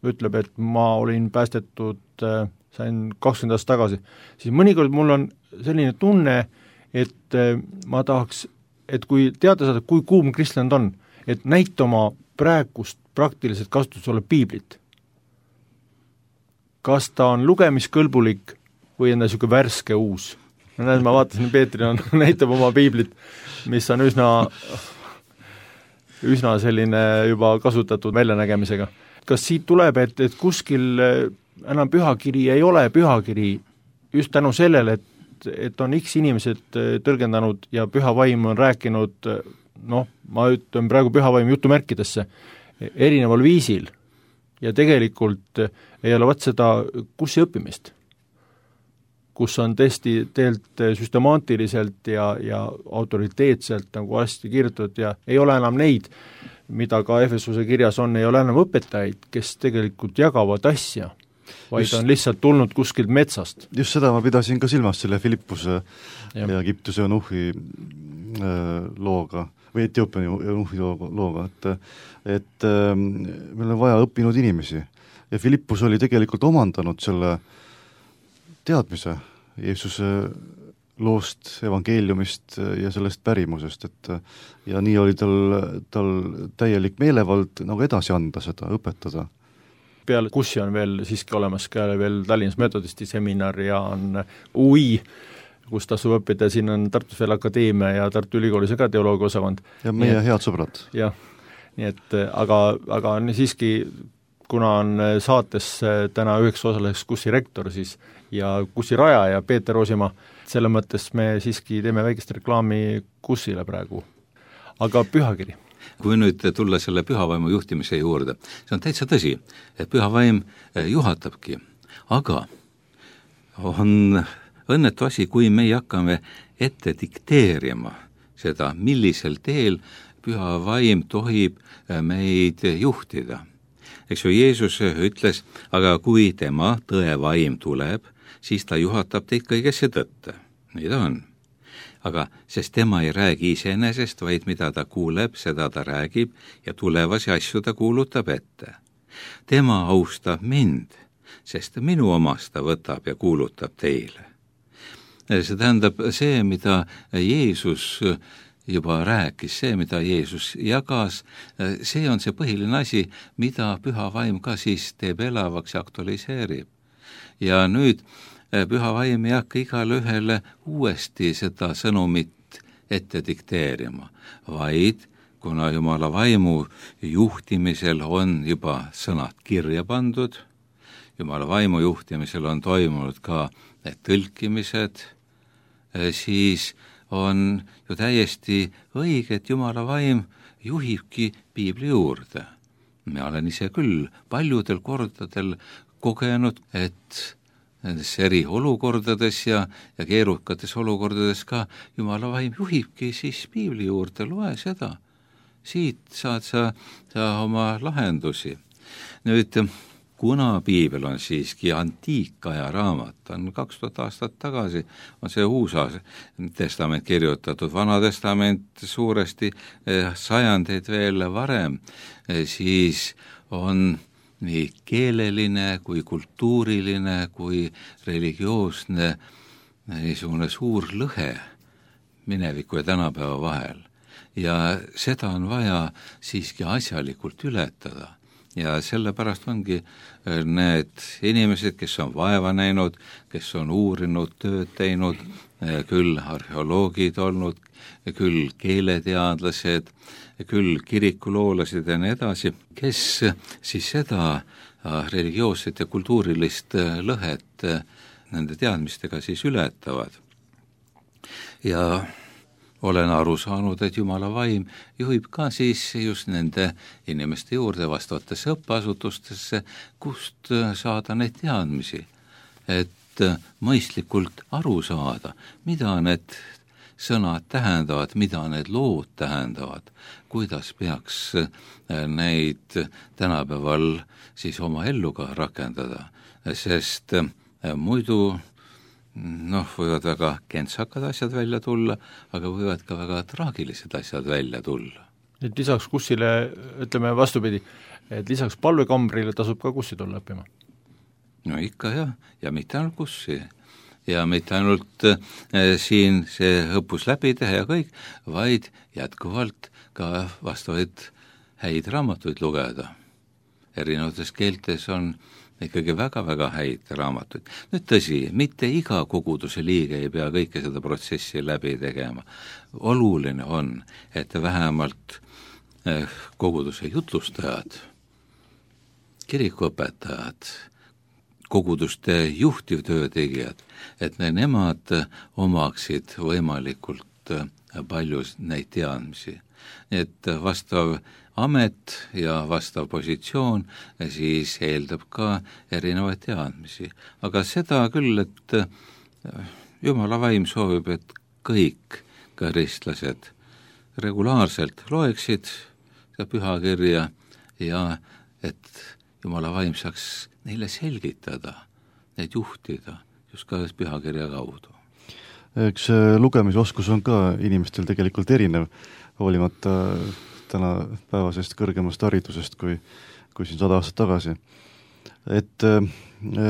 ütleb, et ma olin päästetud, sain 20 aastat tagasi, siis mõnikord mul on selline tunne, et ma tahaks, et kui teada saada, kui kuum kristlane on, et näita oma praegust praktiliselt kasutus olev piiblit. Kas ta on lugemiskõlbulik või on ta niisugune värske uus? Ma vaatasin, Peetri näitab oma piiblit, mis on üsna selline juba kasutatud väljanägemisega. Kas siit tuleb, et kuskil enam pühakiri ei ole pühakiri just tänu sellele, et on X inimesed tõlgendanud ja püha vaim on rääkinud, ma ütlen praegu püha vaim jutumärkidesse, erineval viisil ja tegelikult ei ole seda kurssi õppimist. kus on tõesti teelt süstemaatiliselt ja autoriteetselt nagu hästi kirjutatud ja ei ole enam neid, mida ka Efesuse kirjas on, ei ole enam õpetajaid, kes tegelikult jagavad asja, vaid on lihtsalt tulnud kuskilt metsast. Just seda ma pidasin ka silmas selle Filippuse ja Egiptuse Eunuhi looga või Etioopia Eunuhi looga, et meil on vaja õppinud inimesi ja Filippus oli tegelikult omandanud selle teadmise Jeesuse loost, evangeeliumist ja sellest pärimusest, et ja nii oli tal täielik meelevald nagu edasi anda seda, õpetada. Peale Kussi on veel siiski olemas ka veel Tallinnas metodisti seminar ja on UI, kus tasub õppida, siin on Tartus veel akadeemia ja Tartu Ülikoolis ka teoloogia osakond. Ja meie head sõbrad. Jah, nii et aga siiski, kuna on saates täna üheks osaleks Kussi rektor siis ja Kussi rajaja Peeter Oosimaa, selle mõttes me siiski teeme väikest reklaami Kussile praegu. Aga pühakiri? Kui nüüd tulla selle pühavaimu juhtimise juurde, see on täitsa tõsi, et pühavaim juhatabki, aga on õnnetu asi, kui me hakkame ette dikteerima seda, millisel teel pühavaim tohib meid juhtida. Eks ju, Jeesus ütles, aga kui tema tõevaim tuleb, siis ta juhatab teid kõigesse tõtte. Nii ta on. Aga sest tema ei räägi iseenesest, vaid mida ta kuuleb, seda ta räägib ja tulevasi asju ta kuulutab ette. Tema austab mind, sest minu omast ta võtab ja kuulutab teile. See tähendab see, mida Jeesus juba rääkis, see, mida Jeesus jagas, see on see põhiline asi, mida püha vaim ka siis teeb elavaks ja aktualiseerib. Ja nüüd püha vaim ei hakka igale ühele uuesti seda sõnumit ette dikteerima, vaid kuna Jumala vaimu juhtimisel on juba sõnad kirja pandud, Jumala vaimu juhtimisel on toimunud ka need tõlkimised, siis on ju täiesti õige, et Jumala vaim juhibki piibli juurde. Ma olen ise küll paljudel kordadel kogenud, et nendes eri olukordades ja keerukates olukordades ka Jumala vaim juhibki siis piibli juurde, loe seda. Siit saad sa oma lahendusi. Nüüd, kuna piibel on siiski antiikaja raamat, on 2000 aastat tagasi, on see uus testament kirjutatud, vana testament suuresti sajandeid veel varem, siis on nii keeleline kui kultuuriline kui religioosne niisugune suur lõhe mineviku ja tänapäeva vahel. Ja seda on vaja siiski asjalikult ületada. Ja sellepärast ongi need inimesed, kes on vaeva näinud, kes on uurinud, tööd teinud, küll arheoloogid olnud, küll keeleteadlased, küll kirikuloolased ja nii edasi, kes siis seda religioosset ja kultuurilist lõhet nende teadmistega siis ületavad. Ja olen aru saanud, et Jumala vaim juhib ka siis just nende inimeste juurde vastavatesse õppeasutustesse, kust saada neid teadmisi, et mõistlikult aru saada, mida need sõnad tähendavad, mida need lood tähendavad, kuidas peaks neid tänapäeval siis oma ellu ka rakendada, sest muidu võivad väga kentsakad asjad välja tulla, aga võivad ka väga traagilised asjad välja tulla. Et lisaks kussile, ütleme vastupidi, et lisaks palvekambrile tasub ka kussi tulla õppima? No ikka jah, ja mitte ainult kussi. Ja mitte ainult siin see õppus läbi teha ja kõik, vaid jätkuvalt ka vastavaid häid raamatuid lugeda. Erinevates keeltes on ikkagi väga-väga häid raamatuid. Nüüd tõsi, mitte iga koguduse liige ei pea kõike seda protsessi läbi tegema. Oluline on, et vähemalt koguduse jutlustajad, kirikuõpetajad, koguduste juhtivtöötegijad, et nemad omaksid võimalikult palju neid teadmisi. Et vastav amet ja vastav positsioon siis eeldab ka erinevaid teadmisi. Aga seda küll, et Jumala vaim soovib, et kõik ka kristlased regulaarselt loeksid seda pühakirja ja et Jumala vaim saaks neile selgitada, neid juhtida just ka pühakirja kaudu. Eks lugemisoskus on ka inimestel tegelikult erinev, hoolimata tänapäevasest kõrgemast haridusest kui siin 100 aastat tagasi. Et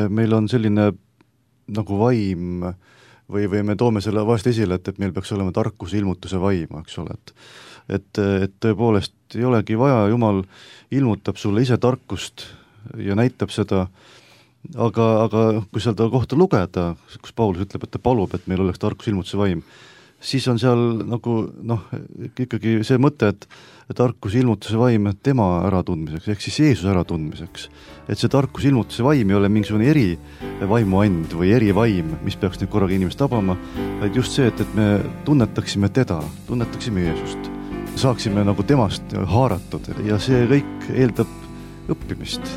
meil on selline nagu vaim või me toome selle vahest esile, et meil peaks olema tarkuse ilmutuse vaim, eks ole, et tõepoolest ei olegi vaja, Jumal ilmutab sulle ise tarkust ja näitab seda, aga kui seda kohta lugeda, kus Paulus ütleb, et ta palub, et meil oleks tarkuse ilmutuse vaim, siis on seal nagu ikkagi see mõte, et tarkuse ilmutuse vaim tema äratundmiseks, ehk siis Jeesuse äratundmiseks. Et see tarkuse ilmutuse vaim ei ole mingisugune eri vaimuand või eri vaim, mis peaks nüüd korraga inimest tabama, vaid just see, et me tunnetaksime teda, tunnetaksime Jeesust, saaksime nagu temast haaratud ja see kõik eeldab õppimist.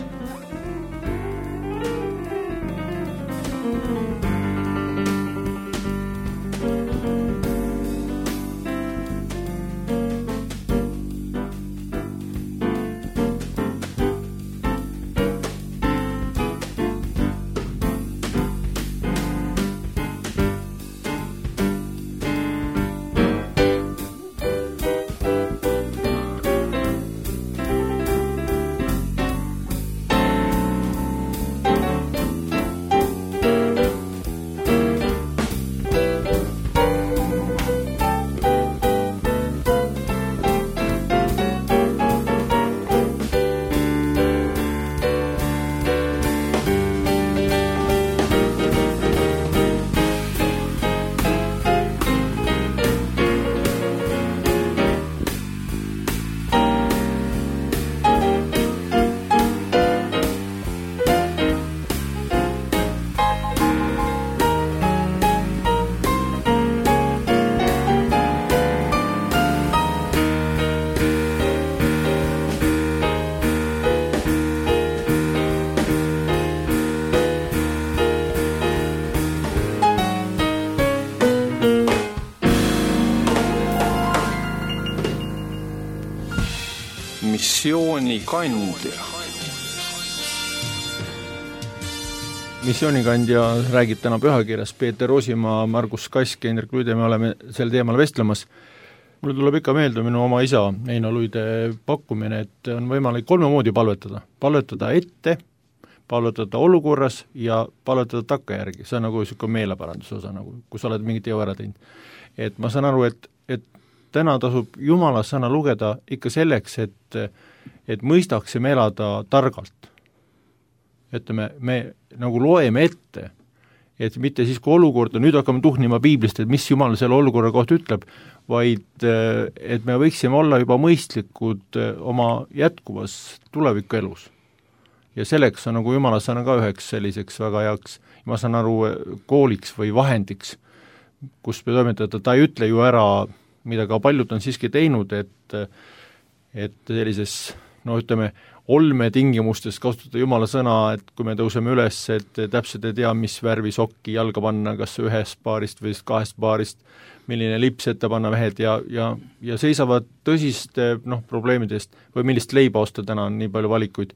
Missioonikandja. Missioonikandja räägib täna pühakirjas Peeter Rosimaa, Margus Kask ja Indrek Luide, me oleme sel teemal vestlemas. Mulle tuleb ikka meelde minu oma isa Eino Luide pakkumine, et on võimalik 3 moodi palvetada. Palvetada ette, palvetada olukorras ja palvetada takkajärgi. See on nagu meeleparanduse osa, nagu, kui sa oled mingi teo ära teinud. Et ma saan aru, et täna tasub Jumala sõna lugeda ikka selleks, et mõistaksime elada targalt. Et me nagu loeme ette, et mitte siis, kui olukorda, nüüd hakkame tuhnima piiblist, et mis Jumal selle olukorra kohta ütleb, vaid et me võiksime olla juba mõistlikud oma jätkuvas tulevikuelus. Ja selleks on nagu Jumala sõna ka üheks selliseks väga heaks, ma saan aru, kooliks või vahendiks, kus me toimetada, ta ei ütle ju ära, mida ka paljud on siiski teinud, et sellises, ütleme, olmetingimustes kasutada Jumala sõna, et kui me tõuseme üles, et täpselt ei tea, mis värvi sokki jalga panna, kas 1 paarist või 2 paarist, milline lips ette panna mehed ja seisavad tõsiste probleemidest või millist leiba osta, täna on nii palju valikuid,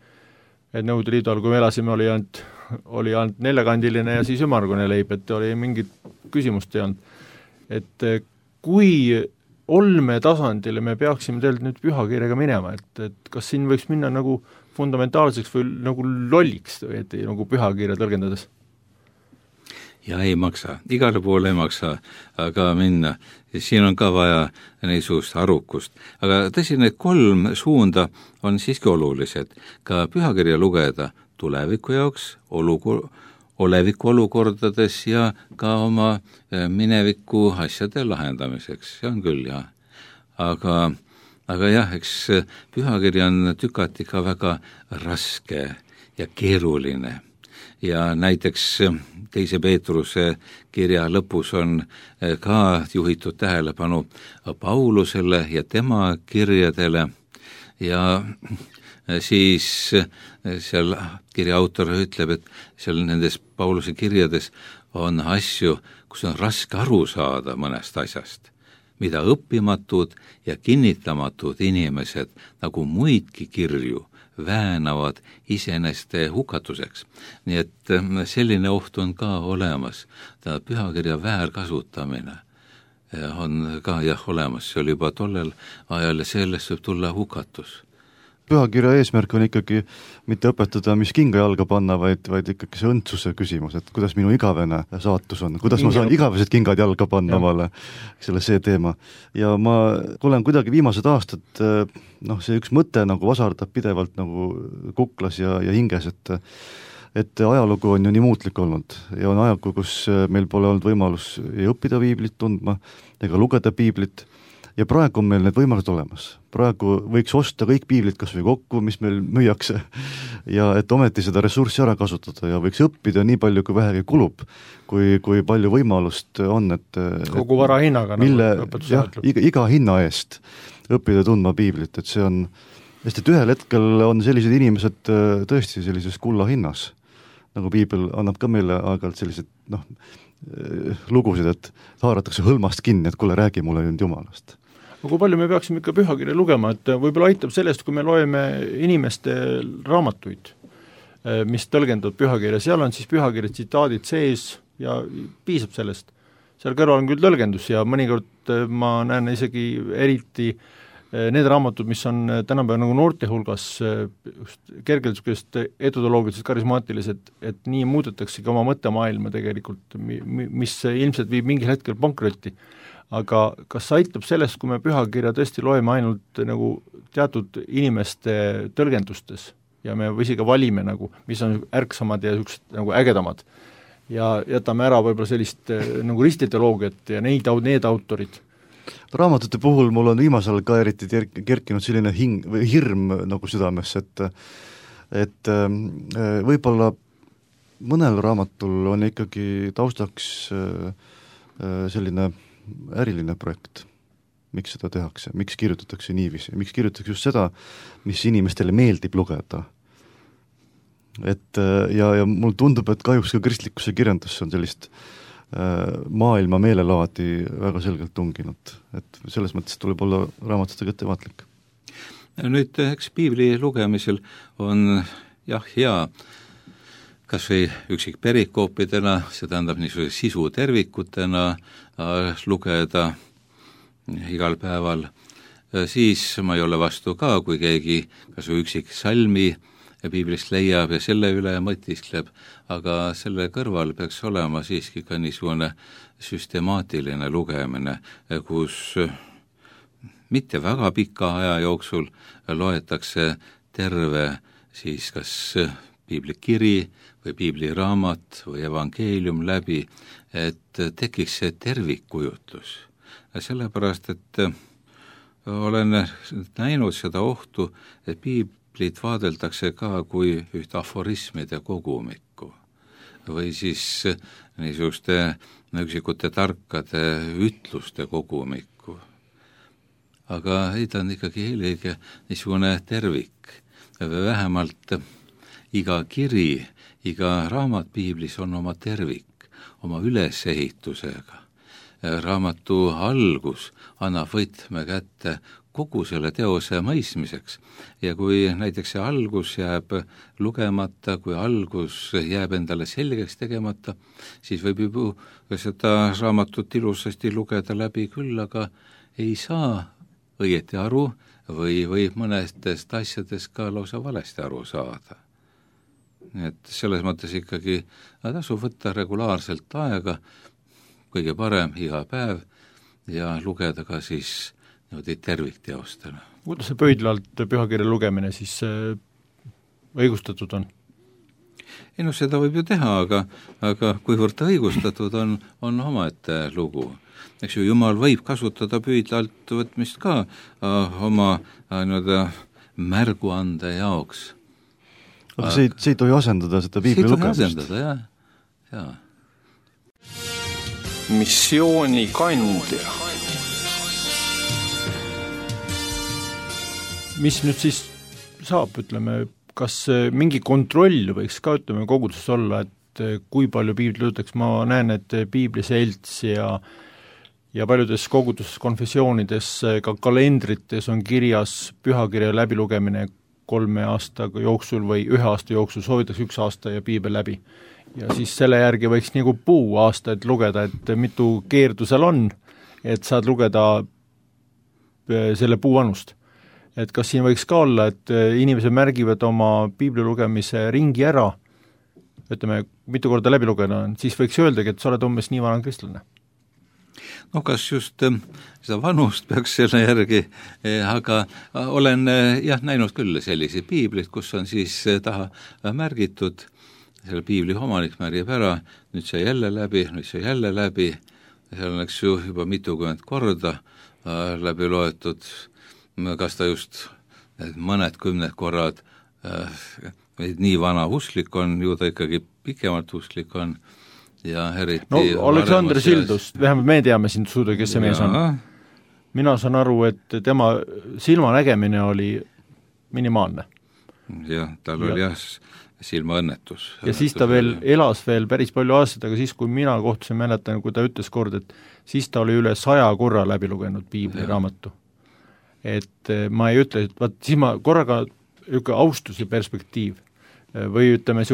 et Nõukogude Liidu all, kui me elasime, oli ainult 4-kandiline ja siis ümmargune leib, et oli mingit küsimust ei olnud. Et kui olme tasandile me peaksime tegelikult nüüd pühakirjaga minema, et kas siin võiks minna nagu fundamentaalseks või nagu lolliks, et nagu pühakirja tõlgendades? Ja ei maksa, igale poole ei maksa aga minna. Siin on ka vaja niisugust arukust. Aga tõsi, need 3 suunda on siiski olulised. Ka pühakirja lugeda tuleviku jaoks, oleviku olukordades ja ka oma mineviku asjade lahendamiseks, see on küll, jah. Aga jah, eks pühakiri on tükati ka väga raske ja keeruline. Ja näiteks 2. Peetruse kirja lõpus on ka juhitud tähelepanu Paulusele ja tema kirjadele ja siis seal kirja autor ütleb, et seal nendes Pauluse kirjades on asju, kus on raske aru saada mõnest asjast, mida õppimatud ja kinnitamatud inimesed nagu muidki kirju väänavad iseeneste hukatuseks. Nii et selline oht on ka olemas. Ta pühakirja väärkasutamine on ka olemas, see oli juba tollel ajal ja sellest võib tulla hukatus. Pühakirja eesmärk on ikkagi mitte õpetada, mis kinga jalga panna, vaid ikkagi see õndsuse küsimus, et kuidas minu igavene saatus on, kuidas ma saan igavesed kingad jalga panna omale, see teema. Ja ma olen kuidagi viimased aastad, see üks mõte nagu vasardab pidevalt nagu kuklas ja hinges, et ajalugu on ju nii muutlik olnud ja on ajalugu, kus meil pole olnud võimalus ei õppida piiblit tundma ega lugeda piiblit. Ja praegu on meil need võimalused olemas. Praegu võiks osta kõik piiblid kas või kokku, mis meil müüakse, ja et ometi seda ressurssi ära kasutada ja võiks õppida nii palju, kui vähegi kulub, kui palju võimalust on, et kogu vara hinnaga, iga hinna eest õppida tundma piiblit, et see on, sest et ühel hetkel on sellised inimesed tõesti sellises kulla hinnas, nagu piibel annab ka meile aeg-ajalt sellised, lugusid, et haaratakse hõlmast kinni, et kuule, räägi mulle nüüd Jumalast. Kui palju me peaksime ikka pühakirja lugema, et võib-olla aitab sellest, kui me loeme inimeste raamatuid, mis tõlgendavad pühakirja, seal on siis pühakirja tsitaadid sees ja piisab sellest. Seal kõrval on küll tõlgendus ja mõnikord ma näen isegi eriti need raamatud, mis on tänapäeval nagu noorte hulgas kergelt etodoloogiliselt karismaatilised, et nii muudetaksegi oma mõttemaailma tegelikult, mis ilmselt viib mingil hetkel pankrotti. Aga kas aitab sellest, kui me pühakirja tõesti loeme ainult nagu teatud inimeste tõlgendustes ja me või isegi valime nagu, mis on ärksamad ja nagu ägedamad ja jätame ära võib-olla sellist nagu ristiteoloogiat ja need autorid? Raamatute puhul mul on viimasel ka eriti kerkinud selline hirm nagu südames, et võib-olla mõnel raamatul on ikkagi taustaks selline äriline projekt, miks seda tehakse, miks kirjutatakse niiviisi, miks kirjutatakse just seda, mis inimestele meeldib lugeda. Et ja mul tundub, et kahjuks ka kristlikkuse kirjandusse on sellist maailma meelelaadi väga selgelt tunginud, et selles mõttes tuleb olla raamatutega ettevaatlik. Nüüd eks piibli lugemisel on hea kas või üksik perikoopidena, see tähendab niisuguse sisu tervikutena lugeda igal päeval, siis ma ei ole vastu ka, kui keegi kas või üksik salmi piiblist leiab ja selle üle mõtiskleb, aga selle kõrval peaks olema siiski ka niisugune süstemaatiline lugemine, kus mitte väga pika aja jooksul loetakse terve siis kas piiblikiri või piibliraamat või evangeelium läbi, et tekiks see tervikkujutlus. Sellepärast, et olen näinud seda ohtu, et piiblit vaadeldakse ka kui üht aforismide kogumikku või siis niisuguste üksikute tarkade ütluste kogumikku. Aga ei, ta on ikkagi eelkõige niisugune tervik, vähemalt iga kiri, iga raamat piiblis on oma tervik, oma ülesehitusega. Raamatu algus annab võtme kätte kogu selle teose mõistmiseks ja kui näiteks see algus jääb lugemata, kui algus jääb endale selgeks tegemata, siis võib juba seda raamatut ilusasti lugeda läbi küll, aga ei saa õieti aru või mõnedest asjadest ka lausa valesti aru saada. Et selles mõttes ikkagi tasub võtta regulaarselt aega, kõige parem iga päev ja lugeda ka siis niimoodi tervikteostena. Kuidas see pöidlalt pühakirja lugemine siis õigustatud on? Ei no seda võib ju teha, aga kuivõrd ta õigustatud on omaette lugu. Eks ju, Jumal võib kasutada pöidlalt võtmist ka oma märguande jaoks. Aga see ei tohi asendada seda piibli lugemist. See ei tohi asendada, jah. Missiooni kandja. Mis nüüd siis saab, ütleme, kas mingi kontroll võiks ka, ütleme, koguduses olla, et kui palju piiblit lugetakse, ma näen, et piibliselts ja paljudes koguduses konfessioonides, ka kalendrites on kirjas pühakirja läbilugemine 3 aasta jooksul või 1 aasta jooksul, soovitakse 1 aasta ja piibel läbi. Ja siis selle järgi võiks nagu aastaid lugeda, et mitu keerdu seal on, et saad lugeda selle puu vanust. Et kas siin võiks ka olla, et inimesed märgivad oma piibli lugemise ringi ära, ütleme, mitu korda läbi lugeda on, siis võiks öeldagi, et sa oled umbes nii vana kristlane. No kas just seda vanust peaks selle järgi, aga olen näinud küll sellisi piiblit, kus on siis taha märgitud, selle piibli omanik märgib ära, nüüd see jälle läbi, seal on eks ju juba mitukümmend korda läbi loetud, kas ta just mõned 10 korrad nii vana usklik on, ju ta ikkagi pikemalt usklik on ja eriti Aleksander Sildus, vähemalt me teame sind suuda, kes see mees on. Mina saan aru, et tema silmanägemine oli minimaalne. Jah, tal oli silmaõnnetus. Ja siis ta elas päris palju aastaid, aga siis, kui mina kohtusin, mäletan, kui ta ütles kord, et siis ta oli üle 100 korra läbi lugenud piibli raamatu. Et ma ei ütle, et siis ma korraga austuse perspektiiv või ütleme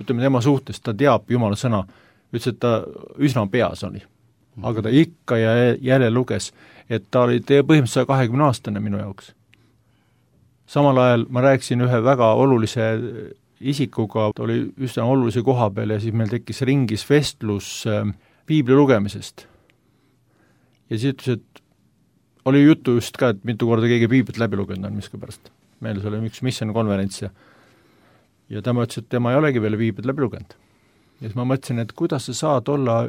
tema suhtes, ta teab Jumala sõna, ütles, et ta üsna peas oli, aga ta ikka ja jälle luges, et ta oli põhimõtteliselt 120-aastane minu jaoks. Samal ajal ma rääkisin ühe väga olulise isikuga, ta oli üsna olulise koha peal ja siis meil tekkis ringis vestlus piibli lugemisest. Ja siis ütles, et oli juttu just ka, et mitu korda keegi piiblit läbi lugenud on miskipärast. Meil oli üks mission konverents ja tema ütles, et tema ei olegi veel piiblit läbi lugenud. Ja siis ma mõtlesin, et kuidas sa saad olla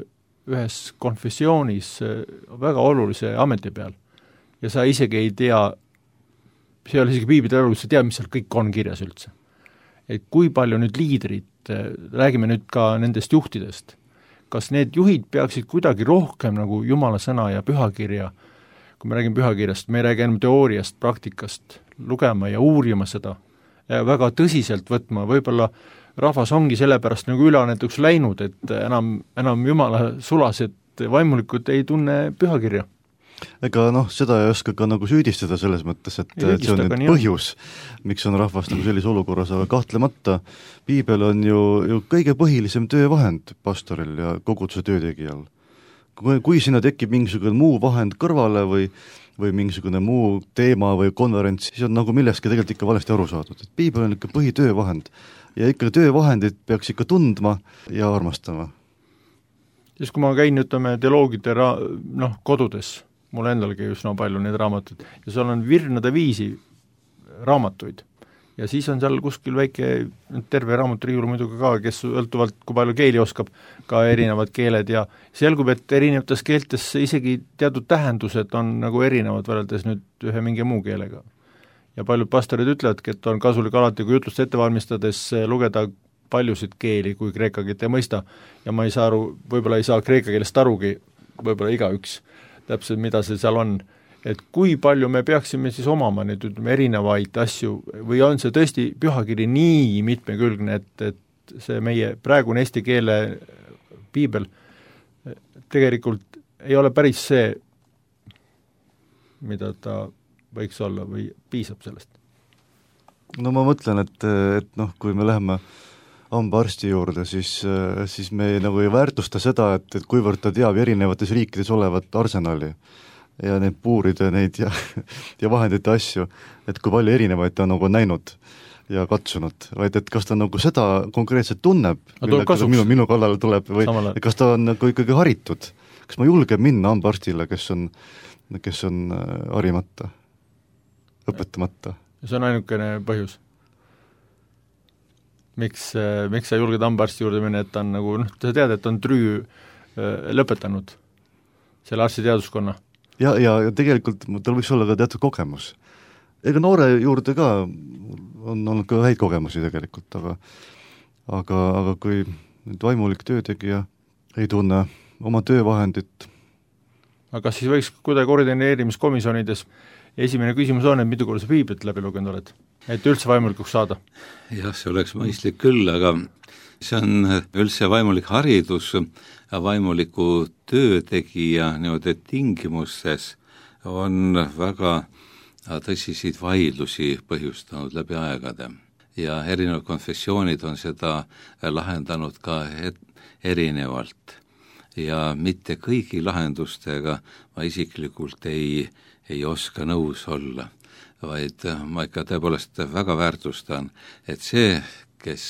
ühes konfessioonis väga olulise ameti peal ja sa isegi ei tea, see ei ole isegi piiblit läbi lugenud, sa tead, mis seal kõik on kirjas üldse. Et kui palju nüüd liidrid, räägime nüüd ka nendest juhtidest, kas need juhid peaksid kuidagi rohkem nagu Jumala sõna ja pühakirja, kui me räägime pühakirjast, me ei räägi enam teooriast, praktikast, lugema ja uurima seda ja väga tõsiselt võtma, võib-olla rahvas ongi sellepärast nagu üleannetuks läinud, et enam Jumala sulased vaimulikud ei tunne pühakirja. Ega seda ei oska ka nagu süüdistada selles mõttes, et see on nüüd põhjus, miks on rahvas nagu sellise olukorras, aga kahtlemata piibel on ju kõige põhilisem töövahend pastoril ja koguduse töötegijal. Kui sinna tekib mingisugune muu vahend kõrvale või mingisugune muu teema või konverents, siis on nagu millestki tegelikult ikka valesti aru saadud. Et piibel on ikka põhitöövahend ja ikka töövahendid peaks ikka tundma ja armastama. Siis kui ma käin, ütleme, teoloogide kodudes, mul endalgi üsna palju neid raamatuid, ja seal on virnade viisi raamatuid. Ja siis on seal kuskil väike terve raamaturiiul muidugi ka, kes sõltuvalt, kui palju keeli oskab, ka erinevad keeled ja selgub, et erinevates keeltes isegi teatud tähendused on nagu erinevad võrreldes nüüd ühe mingi muu keelega. Ja paljud pastorid ütlevadki, et on kasulik alati, kui jutlust ette valmistades lugeda paljusid keeli, kui kreeka keelt ei mõista. Ja ma ei saa aru, võib-olla ei saa kreeka keelest arugi, võib-olla igaüks täpselt, mida see seal on, et kui palju me peaksime siis omama neid erinevaid asju või on see tõesti pühakiri nii mitmekülgne, et see meie praegune eesti keele piibel tegelikult ei ole päris see, mida ta võiks olla või piisab sellest? No ma mõtlen, et kui me läheme hambaarsti juurde, siis me nagu ei väärtusta seda, et kuivõrd ta teab erinevates riikides olevat arsenali ja neid puuride neid ja vahendite asju, et kui palju erinevaid ta nagu näinud ja katsunud, vaid et kas ta nagu seda konkreetselt tunneb, minu kallale tuleb, või kas ta on nagu ikkagi haritud. Kas ma julgen minna hambaarstile, kes on harimata, õpetamata? See on ainukene põhjus. Miks sa julged hambaarsti juurde minna, et ta on nagu, sa tead, et on trüü lõpetanud selle arstiteaduskonna. Ja tegelikult tal võiks olla ka teatud kogemus. Ega noore juurde ka on olnud ka häid kogemusi tegelikult, aga kui nüüd vaimulik töötegija ei tunne oma töövahendit. Aga siis võiks kuidagi koordineerimiskomisjonides esimene küsimus on, et mitu korda sa piiblit läbi lugenud oled? et üldse vaimulikuks saada? Jah, see oleks mõistlik küll, aga see on üldse vaimulik haridus ja vaimuliku töötegija niimoodi tingimustes on väga tõsiseid vaidlusi põhjustanud läbi aegade ja erinevad konfessioonid on seda lahendanud ka erinevalt ja mitte kõigi lahendustega ma isiklikult ei oska nõus olla, vaid ma ikka tõepoolest väga väärtustan, et see, kes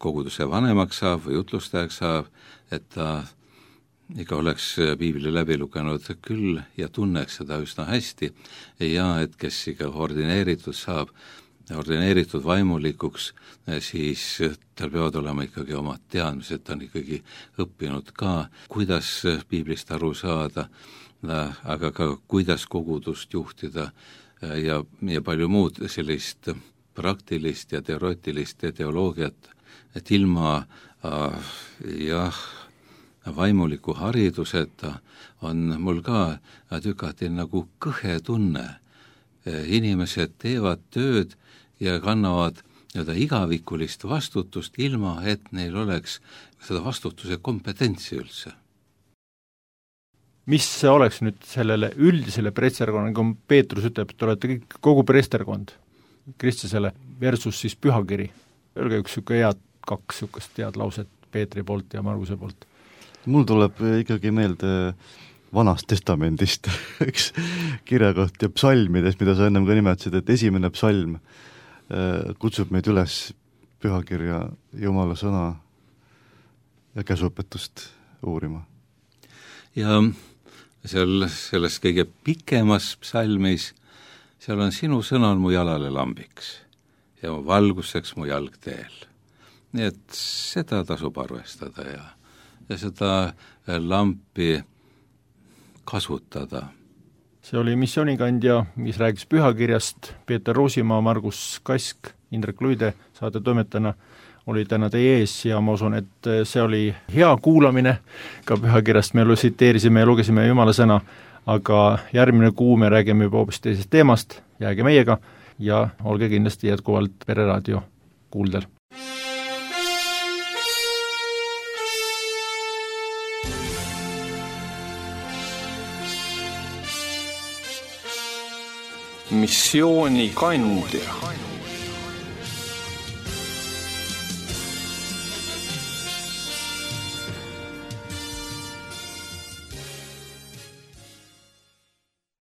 koguduse vanemaks saab või jutlustajaks saab, et ta ikka oleks piibli läbi lugenud küll ja tunneks seda üsna hästi ja et kes ikka ordineeritud saab, ordineeritud vaimulikuks, siis tal peavad olema ikkagi omad teadmised, ta on ikkagi õppinud ka, kuidas piiblist aru saada, aga ka kuidas kogudust juhtida ja palju muud sellist praktilist ja teoreetilist teoloogiat, et ilma vaimuliku hariduseta on mul ka tükati nagu kõhe tunne. Inimesed teevad tööd ja kannavad igavikulist vastutust ilma, et neil oleks seda vastutuse kompetentsi üldse. Mis see oleks nüüd sellele üldisele preesterkonnale, kui Peetrus ütleb, et olete kõik, kogu preesterkond Kristusele versus siis pühakiri? Öelge üks kaks head lauset Peetri poolt ja Marguse poolt. Mul tuleb ikkagi meelde Vanast testamendist üks kirjakoht ja psalmides, mida sa ennem ka nimetasid, et esimene psalm kutsub meid üles pühakirja Jumala sõna ja käsuõpetust uurima. Ja selles kõige pikemas psalmis, seal on sinu sõna on mu jalale lambiks ja valguseks mu jalg teel. Nii et seda tasub arvestada ja seda lampi kasutada. See oli missioonikandja, mis rääkis pühakirjast, Peeter Ruusimaa, Margus Kask, Indrek Luide saatetoimetajana oli täna teie ees ja ma usun, et see oli hea kuulamine, ka pühakirjast me tsiteerisime ja lugesime Jumala sõna, aga järgmine kuu me räägime juba hoopis teisest teemast, jääge meiega ja olge kindlasti jätkuvalt Pereraadio kuuldel. Missioonikandja.